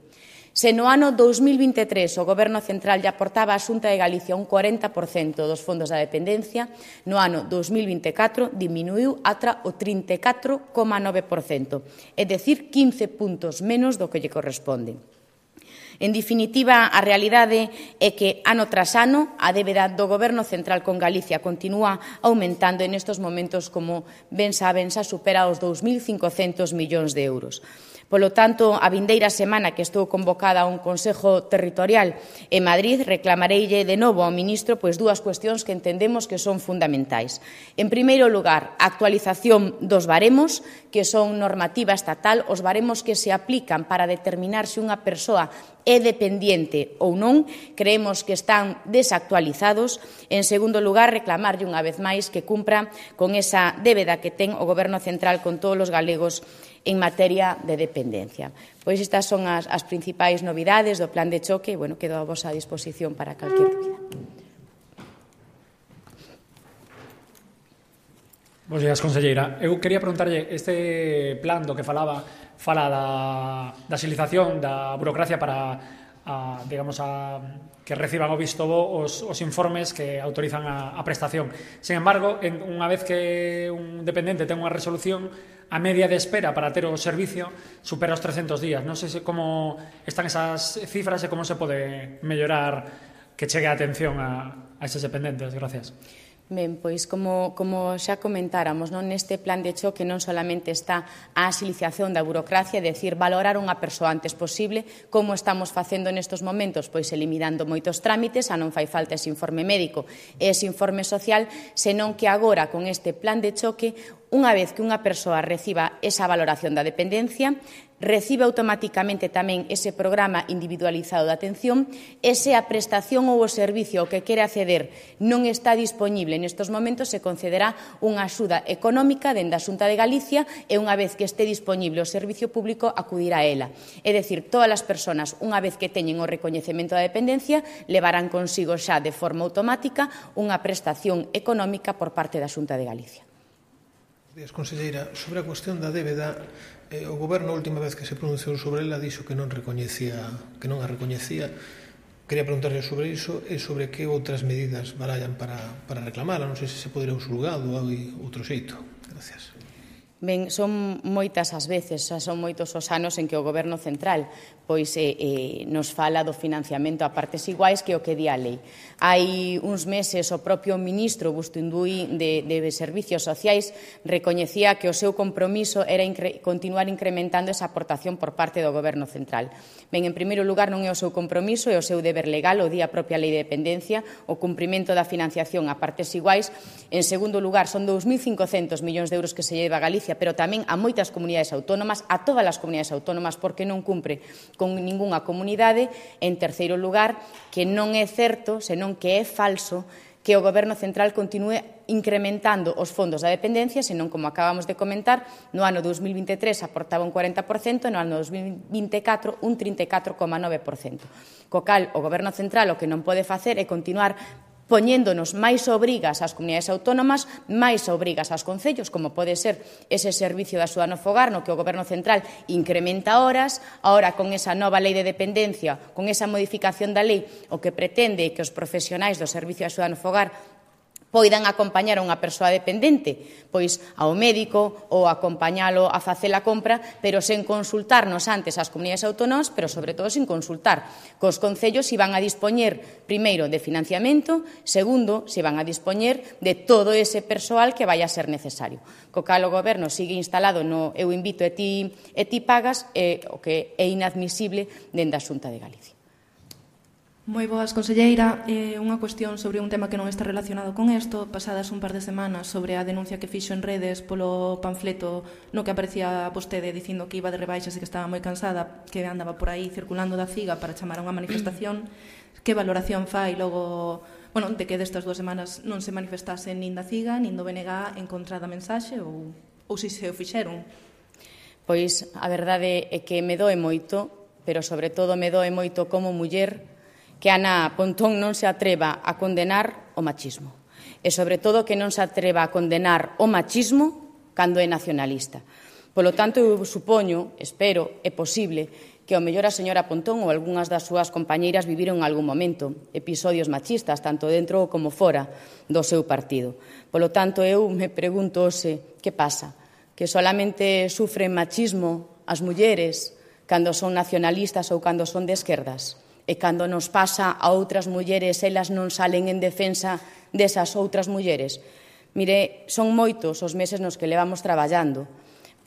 Se no ano 2023 o Goberno central lle aportaba á Xunta de Galicia un 40% dos fondos da dependencia, no ano 2024 diminuiu ata o 34,9%, é dicir, 15 puntos menos do que lle corresponde. En definitiva, a realidade é que ano tras ano a débeda do Goberno central con Galicia continúa aumentando e nestes momentos, como ben saben, xa supera os 2.500 millóns de euros. Polo tanto, a vindeira semana que estou convocada a un Consello Territorial en Madrid, reclamareille de novo ao ministro dúas cuestións que entendemos que son fundamentais. En primeiro lugar, a actualización dos baremos, que son normativa estatal, os baremos que se aplican para determinar se unha persoa é dependiente ou non, creemos que están desactualizados. En segundo lugar, reclamarlle unha vez máis que cumpra con esa débeda que ten o Goberno central con todos os galegos en materia de dependencia. Pois estas son as principais novidades do plan de choque e, quedo a vosa disposición para calquer dúbida. Bos días, conselleira. Eu quería preguntarlle, este plan do que fala da axilización da burocracia para que reciban o visto bo os informes que autorizan a prestación. Sin embargo, unha vez que un dependente ten unha resolución, a media de espera para ter o servicio supera os 300 días. Non sei como están esas cifras e como se pode mellorar que chegue a atención a eses dependentes. Gracias. Ben, pois como xa comentáramos, neste plan de choque non solamente está a axilización da burocracia, é dicir, valorar unha persoa antes posible, como estamos facendo nestes momentos, pois eliminando moitos trámites, a non fai falta ese informe médico e ese informe social, senón que agora con este plan de choque, unha vez que unha persoa reciba esa valoración da dependencia, recibe automáticamente tamén ese programa individualizado de atención e se a prestación ou o servicio ao que quere acceder non está disponible nestes momentos, se concederá unha axuda económica dende a Xunta de Galicia e unha vez que este disponible o servicio público acudirá a ela. É dicir, todas as persoas, unha vez que teñen o recoñecemento da dependencia, levarán consigo xa de forma automática unha prestación económica por parte da Xunta de Galicia. Conselleira, sobre a cuestión da débeda, o Goberno, a última vez que se pronunciou sobre ela, dixo que non a recoñecía. Quería preguntarle sobre iso e sobre que outras medidas barallan para reclamala. Non sei se podería un xulgado ou outro xeito. Gracias. Ben, son moitas as veces, son moitos os anos en que o Goberno central nos fala do financiamento a partes iguais que o que di a lei. Hai uns meses o propio ministro Bustinduí de Servicios Sociais recoñecía que o seu compromiso era continuar incrementando esa aportación por parte do Goberno central. Ben, en primeiro lugar, non é o seu compromiso, é o seu deber legal, o di a propia lei de dependencia, o cumprimento da financiación a partes iguais. En segundo lugar, son 2.500 millóns de euros que se lleva a Galicia, pero tamén a moitas comunidades autónomas, a todas as comunidades autónomas, porque non cumpre con ningunha comunidade. En terceiro lugar, que non é certo, senón que é falso, que o Goberno central continúe incrementando os fondos da dependencia, senón, como acabamos de comentar, no ano 2023 aportaba un 40%, no ano 2024 un 34,9%. Co cal, o Goberno central o que non pode facer é continuar poñéndonos máis obrigas ás comunidades autónomas, máis obrigas aos concellos, como pode ser ese servicio de axuda no fogar, no que o Goberno central incrementa horas. Ahora, con esa nova lei de dependencia, con esa modificación da lei, o que pretende é que os profesionais do servicio de axuda no fogar poidan acompañar a unha persoa dependente, pois ao médico ou acompañalo a facer a compra, pero sen consultarnos antes ás comunidades autónomas, pero sobre todo sen consultar cos concellos se van a dispoñer, primeiro, de financiamento, segundo, se van a dispoñer de todo ese persoal que vai a ser necesario. Co cal o Goberno sigue instalado no eu invito e ti pagas, o que é inadmisible dende a Xunta de Galicia. Moi boas, conselleira. Unha cuestión sobre un tema que non está relacionado con isto. Pasadas un par de semanas sobre a denuncia que fixo en redes polo panfleto no que aparecía vostede dicindo que iba de rebaixas e que estaba moi cansada, que andaba por aí circulando da CIGA para chamar a unha manifestación. Que valoración fai logo de que destas 2 semanas non se manifestase nin da CIGA nin do BNG en contra da mensaxe ou se o fixeron? Pois a verdade é que me doe moito, pero sobre todo me doe moito como muller que Ana Pontón non se atreva a condenar o machismo. E, sobre todo, que non se atreva a condenar o machismo cando é nacionalista. Polo tanto, eu supoño, espero, é posible, que ao mellor a señora Pontón ou algunhas das súas compañeiras viviron en algún momento episodios machistas, tanto dentro como fora do seu partido. Polo tanto, eu me pregunto que pasa? Que solamente sufren machismo as mulleres cando son nacionalistas ou cando son de esquerdas? E cando nos pasa a outras mulleres, elas non salen en defensa desas outras mulleres. Mire, son moitos os meses nos que levamos traballando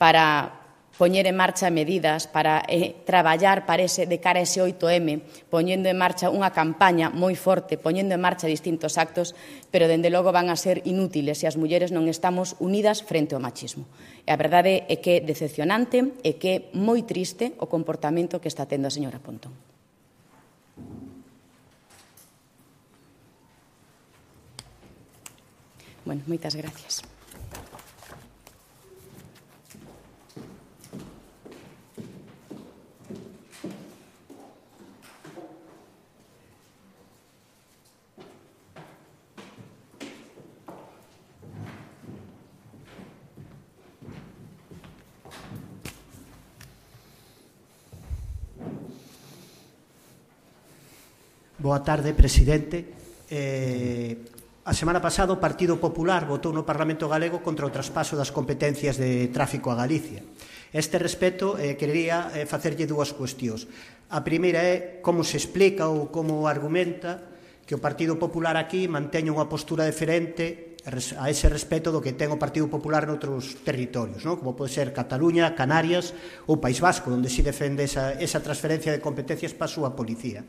para poñer en marcha medidas para traballar de cara a ese 8M, poñendo en marcha unha campaña moi forte, poñendo en marcha distintos actos, pero dende logo van a ser inútiles se as mulleres non estamos unidas frente ao machismo. E a verdade é que é decepcionante e que é moi triste o comportamento que está tendo a señora Pontón. Bueno, moitas gracias. Boa tarde, presidente. A semana pasada o Partido Popular votou no Parlamento Galego contra o traspaso das competencias de tráfico a Galicia. Este respecto, querería facerlle dúas cuestións. A primeira é como se explica ou como argumenta que o Partido Popular aquí manteña unha postura diferente a ese respecto do que ten o Partido Popular noutros territorios, como pode ser Cataluña, Canarias ou País Vasco, onde se defende esa transferencia de competencias para a súa policía.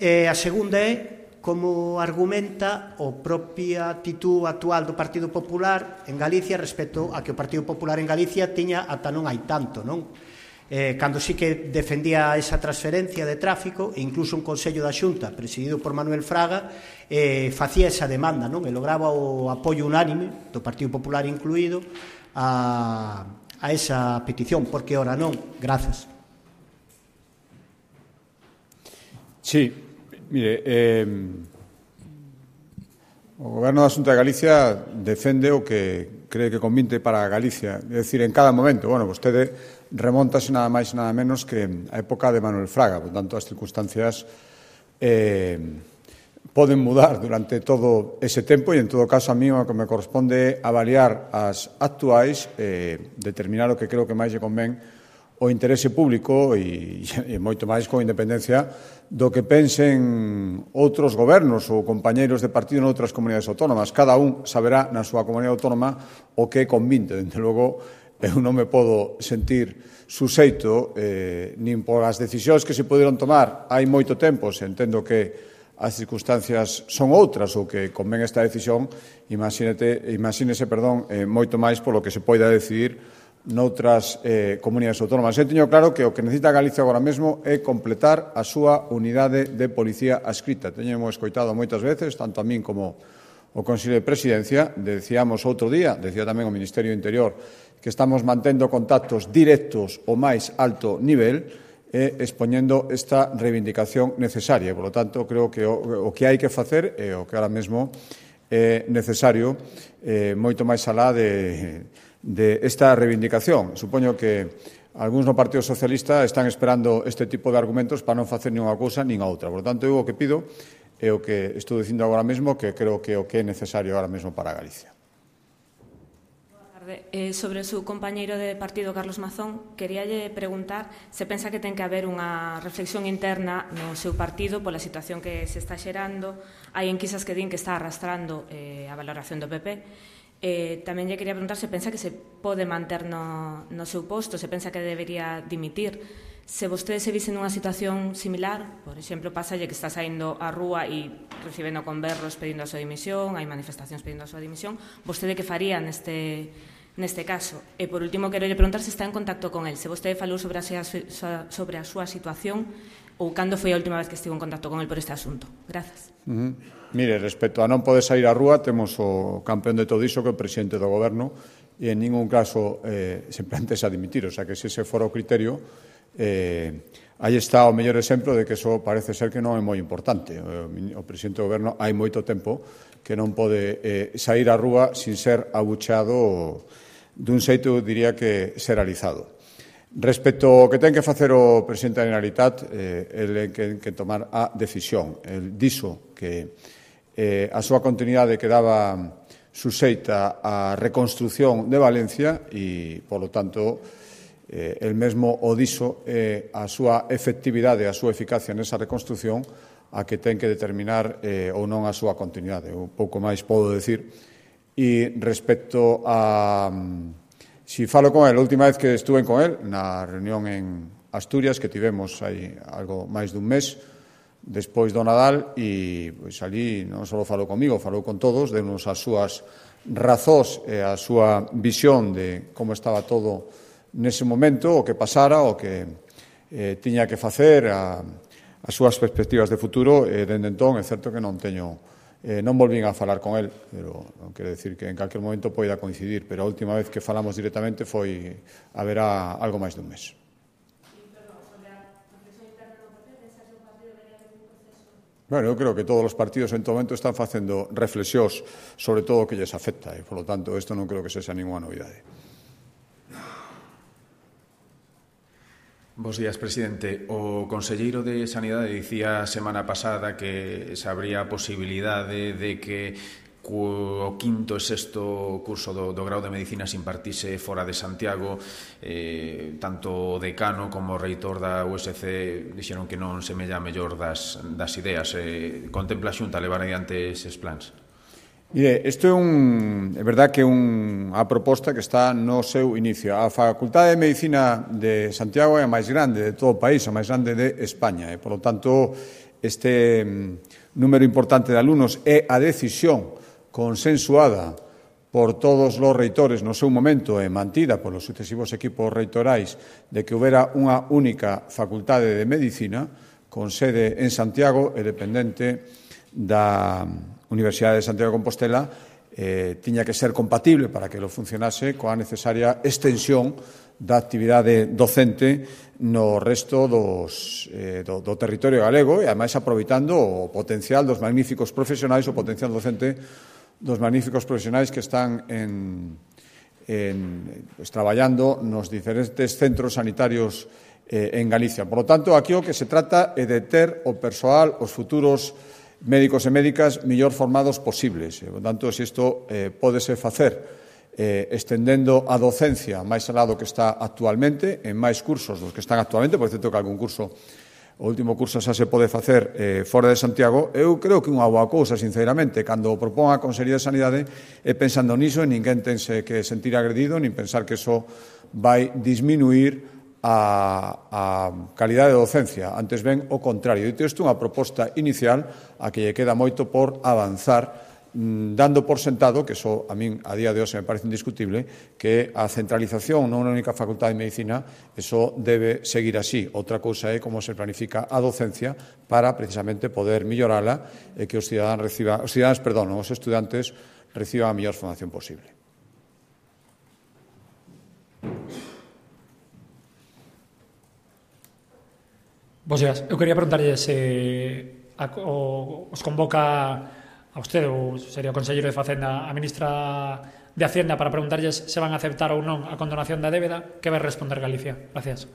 A segunda é como argumenta a propia actitud actual do Partido Popular en Galicia respecto a que o Partido Popular en Galicia tiña ata non hai tanto, non? Cando sí que defendía esa transferencia de tráfico e incluso un Consello da Xunta presidido por Manuel Fraga facía esa demanda, non? E lograba o apoio unánime do Partido Popular incluído a esa petición, porque ora non. Grazas. Sí. Mire, o Goberno da Xunta de Galicia defende o que cree que convinte para Galicia. É dicir, en cada momento, vostede remontase nada máis e nada menos que a época de Manuel Fraga, por tanto, as circunstancias poden mudar durante todo ese tempo e, en todo caso, a mí o que me corresponde avaliar as actuais, determinar o que creo que máis lle convén o interese público e moito máis con independencia do que pensen outros gobernos ou compañeiros de partido noutras comunidades autónomas. Cada un saberá na súa comunidade autónoma o que convinte. Dende logo, eu non me podo sentir suxeito nin por as decisións que se poderon tomar hai moito tempo, se entendo que as circunstancias son outras ou que convén esta decisión, imagínese, moito máis polo que se poida decidir noutras comunidades autónomas. Eu teño claro que o que necesita Galicia agora mesmo é completar a súa unidade de policía adscrita. Teñemos escoitado moitas veces, tanto a min como o Consello de Presidencia, decíamos outro día, decía tamén o Ministerio do Interior, que estamos mantendo contactos directos ao máis alto nivel e expoñendo esta reivindicación necesaria. Por lo tanto, creo que o que hai que facer é o que ahora mesmo é necesario, moito máis alá de esta reivindicación. Supoño que algúns no Partido Socialista están esperando este tipo de argumentos para non facer nin unha cousa nin a outra. Por tanto, eu o que pido é o que estou dicindo agora mesmo, que creo que é o que é necesario agora mesmo para Galicia. Sobre o seu compañeiro de partido, Carlos Mazón, queríalle preguntar se pensa que ten que haber unha reflexión interna no seu partido pola situación que se está xerando. Hai enquisas que din que está arrastrando a valoración do PP. Tamén lle quería preguntar se pensa que se pode manter no seu posto, se pensa que debería dimitir. Se vostede se vise nunha situación similar, por exemplo, pasalle que está saindo á rúa e recibendo conberros pedindo a súa dimisión, hai manifestacións pedindo a súa dimisión, vostede que faría neste caso? E, por último, quero lle preguntar se está en contacto con el, se vostede falou sobre a súa situación ou cando foi a última vez que estivo en contacto con el por este asunto. Grazas. Mire, respecto a non poder sair á rúa, temos o campeón de todo iso que é o presidente do Goberno e en ningún caso se plantexa dimitir, o sea que se ese fora o criterio, aí está o mellor exemplo de que eso parece ser que non é moi importante. O presidente do Goberno hai moito tempo que non pode sair á rúa sin ser abucheado dun xeito, diría que, xeralizado. Respecto ao que ten que facer o presidente da Generalitat, ele ten que tomar a decisión. El dixo que a súa continuidade quedaba suxeita á reconstrucción de Valencia e, polo tanto, el mesmo o dixo a súa efectividade, a súa eficacia nesa reconstrucción a que ten que determinar ou non a súa continuidade. Un pouco máis podo decir. E respecto a Si falo con el, a última vez que estuve con el, na reunión en Asturias, que tivemos aí algo máis dun mes, despois do Nadal, e pois ali non só falou comigo, falou con todos, deunos as súas razóns e a súa visión de como estaba todo nese momento, o que pasara, o que tiña que facer, as súas perspectivas de futuro, e dende entón é certo que non volvín a falar con el, pero non quero decir que en calquer momento poida coincidir, pero a última vez que falamos directamente foi haberá algo máis dun mes. Bueno, eu creo que todos os partidos en todo momento están facendo reflexións sobre todo o que lles afecta, e, polo tanto, isto non creo que sexa ninguna novidade. Bos días, presidente. O conselleiro de Sanidade dicía a semana pasada que se habría a posibilidade de que o quinto e sexto curso do grau de Medicina se impartise fora de Santiago. Tanto o decano como o reitor da USC dixeron que non semella a mellor das ideas. Contempla a Xunta levar adiante eses plans? Mire, isto é verdad que é unha proposta que está no seu inicio. A Facultade de Medicina de Santiago é a máis grande de todo o país, a máis grande de España, e, polo tanto, este número importante de alumnos é a decisión consensuada por todos os reitores no seu momento e mantida polos sucesivos equipos reitorais de que houbera unha única facultade de Medicina con sede en Santiago e dependente da Universidade de Santiago de Compostela, tiña que ser compatible para que lo funcionase coa necesaria extensión da actividade docente no resto do territorio galego e, ademais, aproveitando o potencial dos magníficos profesionais, o potencial docente dos magníficos profesionais que están traballando nos diferentes centros sanitarios en Galicia. Por lo tanto, aquí o que se trata é de ter o persoal, os futuros médicos e médicas mellor formados posibles. Por tanto, se isto pódese facer estendendo a docencia máis alá do que está actualmente, en máis cursos dos que están actualmente, por certo que algún curso, o último curso xa se pode facer fora de Santiago, eu creo que unha boa cousa, sinceramente, cando propón a Consellería de Sanidade, é pensando niso, e ninguén tense que sentir agredido, nin pensar que iso vai disminuir a calidade de docencia. Antes ben, o contrario. Dito isto, unha proposta inicial a que lle queda moito por avanzar, dando por sentado, que iso a min a día de hoxe me parece indiscutible, que a centralización nunha única facultade de medicina, iso debe seguir así. Outra cousa é como se planifica a docencia para precisamente poder mellorala e que os estudantes reciban a mellor formación posible. Bos días. Eu quería preguntarlle se os convoca a usted, ou sería o conselleiro de Facenda, a ministra de Hacienda, para preguntarlles se van a aceptar ou non a condonación da débeda. Que vai responder Galicia? Gracias.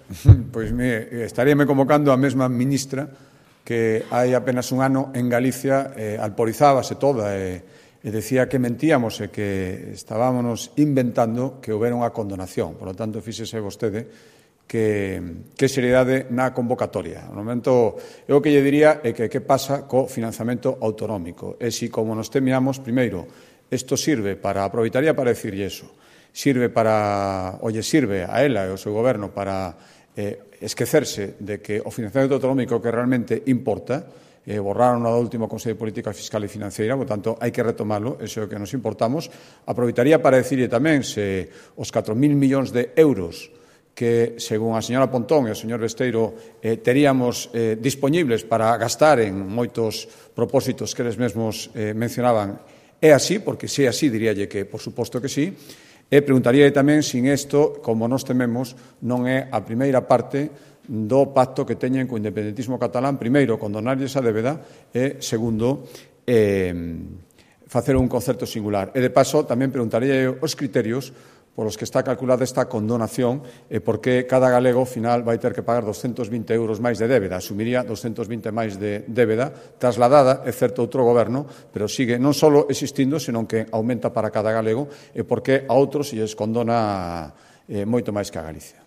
Pois estaríame convocando a mesma ministra que hai apenas un ano en Galicia alporizábase toda e decía que mentíamos e que estábamos inventando que houbera unha condonación. Por lo tanto, fíxese vostede que seriedade na convocatoria. No momento, eu o que lle diría é que pasa co financiamento autonómico. E se, como nos temíamos, primeiro, isto sirve para, aproveitaría para decirlle eso, sirve a ela e ao seu goberno para esquecerse de que o financiamento autonómico que realmente importa, borraron no último Consello de Política Fiscal e Financeira, por tanto, hai que retomarlo, eso é o que nos importamos. Aproveitaría para decirlle tamén se os 4.000 millóns de euros que, según a señora Pontón e o señor Besteiro, teríamos dispoñibles para gastar en moitos propósitos que eles mesmos mencionaban. É así, porque se é así, diríalle que, por suposto que sí, e preguntaríalle tamén se isto, como nos tememos, non é a primeira parte do pacto que teñen co independentismo catalán, primeiro, condonarlles a débeda, e, segundo, facer un concerto singular. E, de paso, tamén preguntaríalle os criterios polos que está calculada esta condonación e por que cada galego, ao final, vai ter que pagar 220 euros máis de débeda. Asumiría 220 máis de débeda, trasladada, é certo, outro goberno, pero sigue non só existindo, senón que aumenta para cada galego, e por que a outros se lles condona moito máis que a Galicia.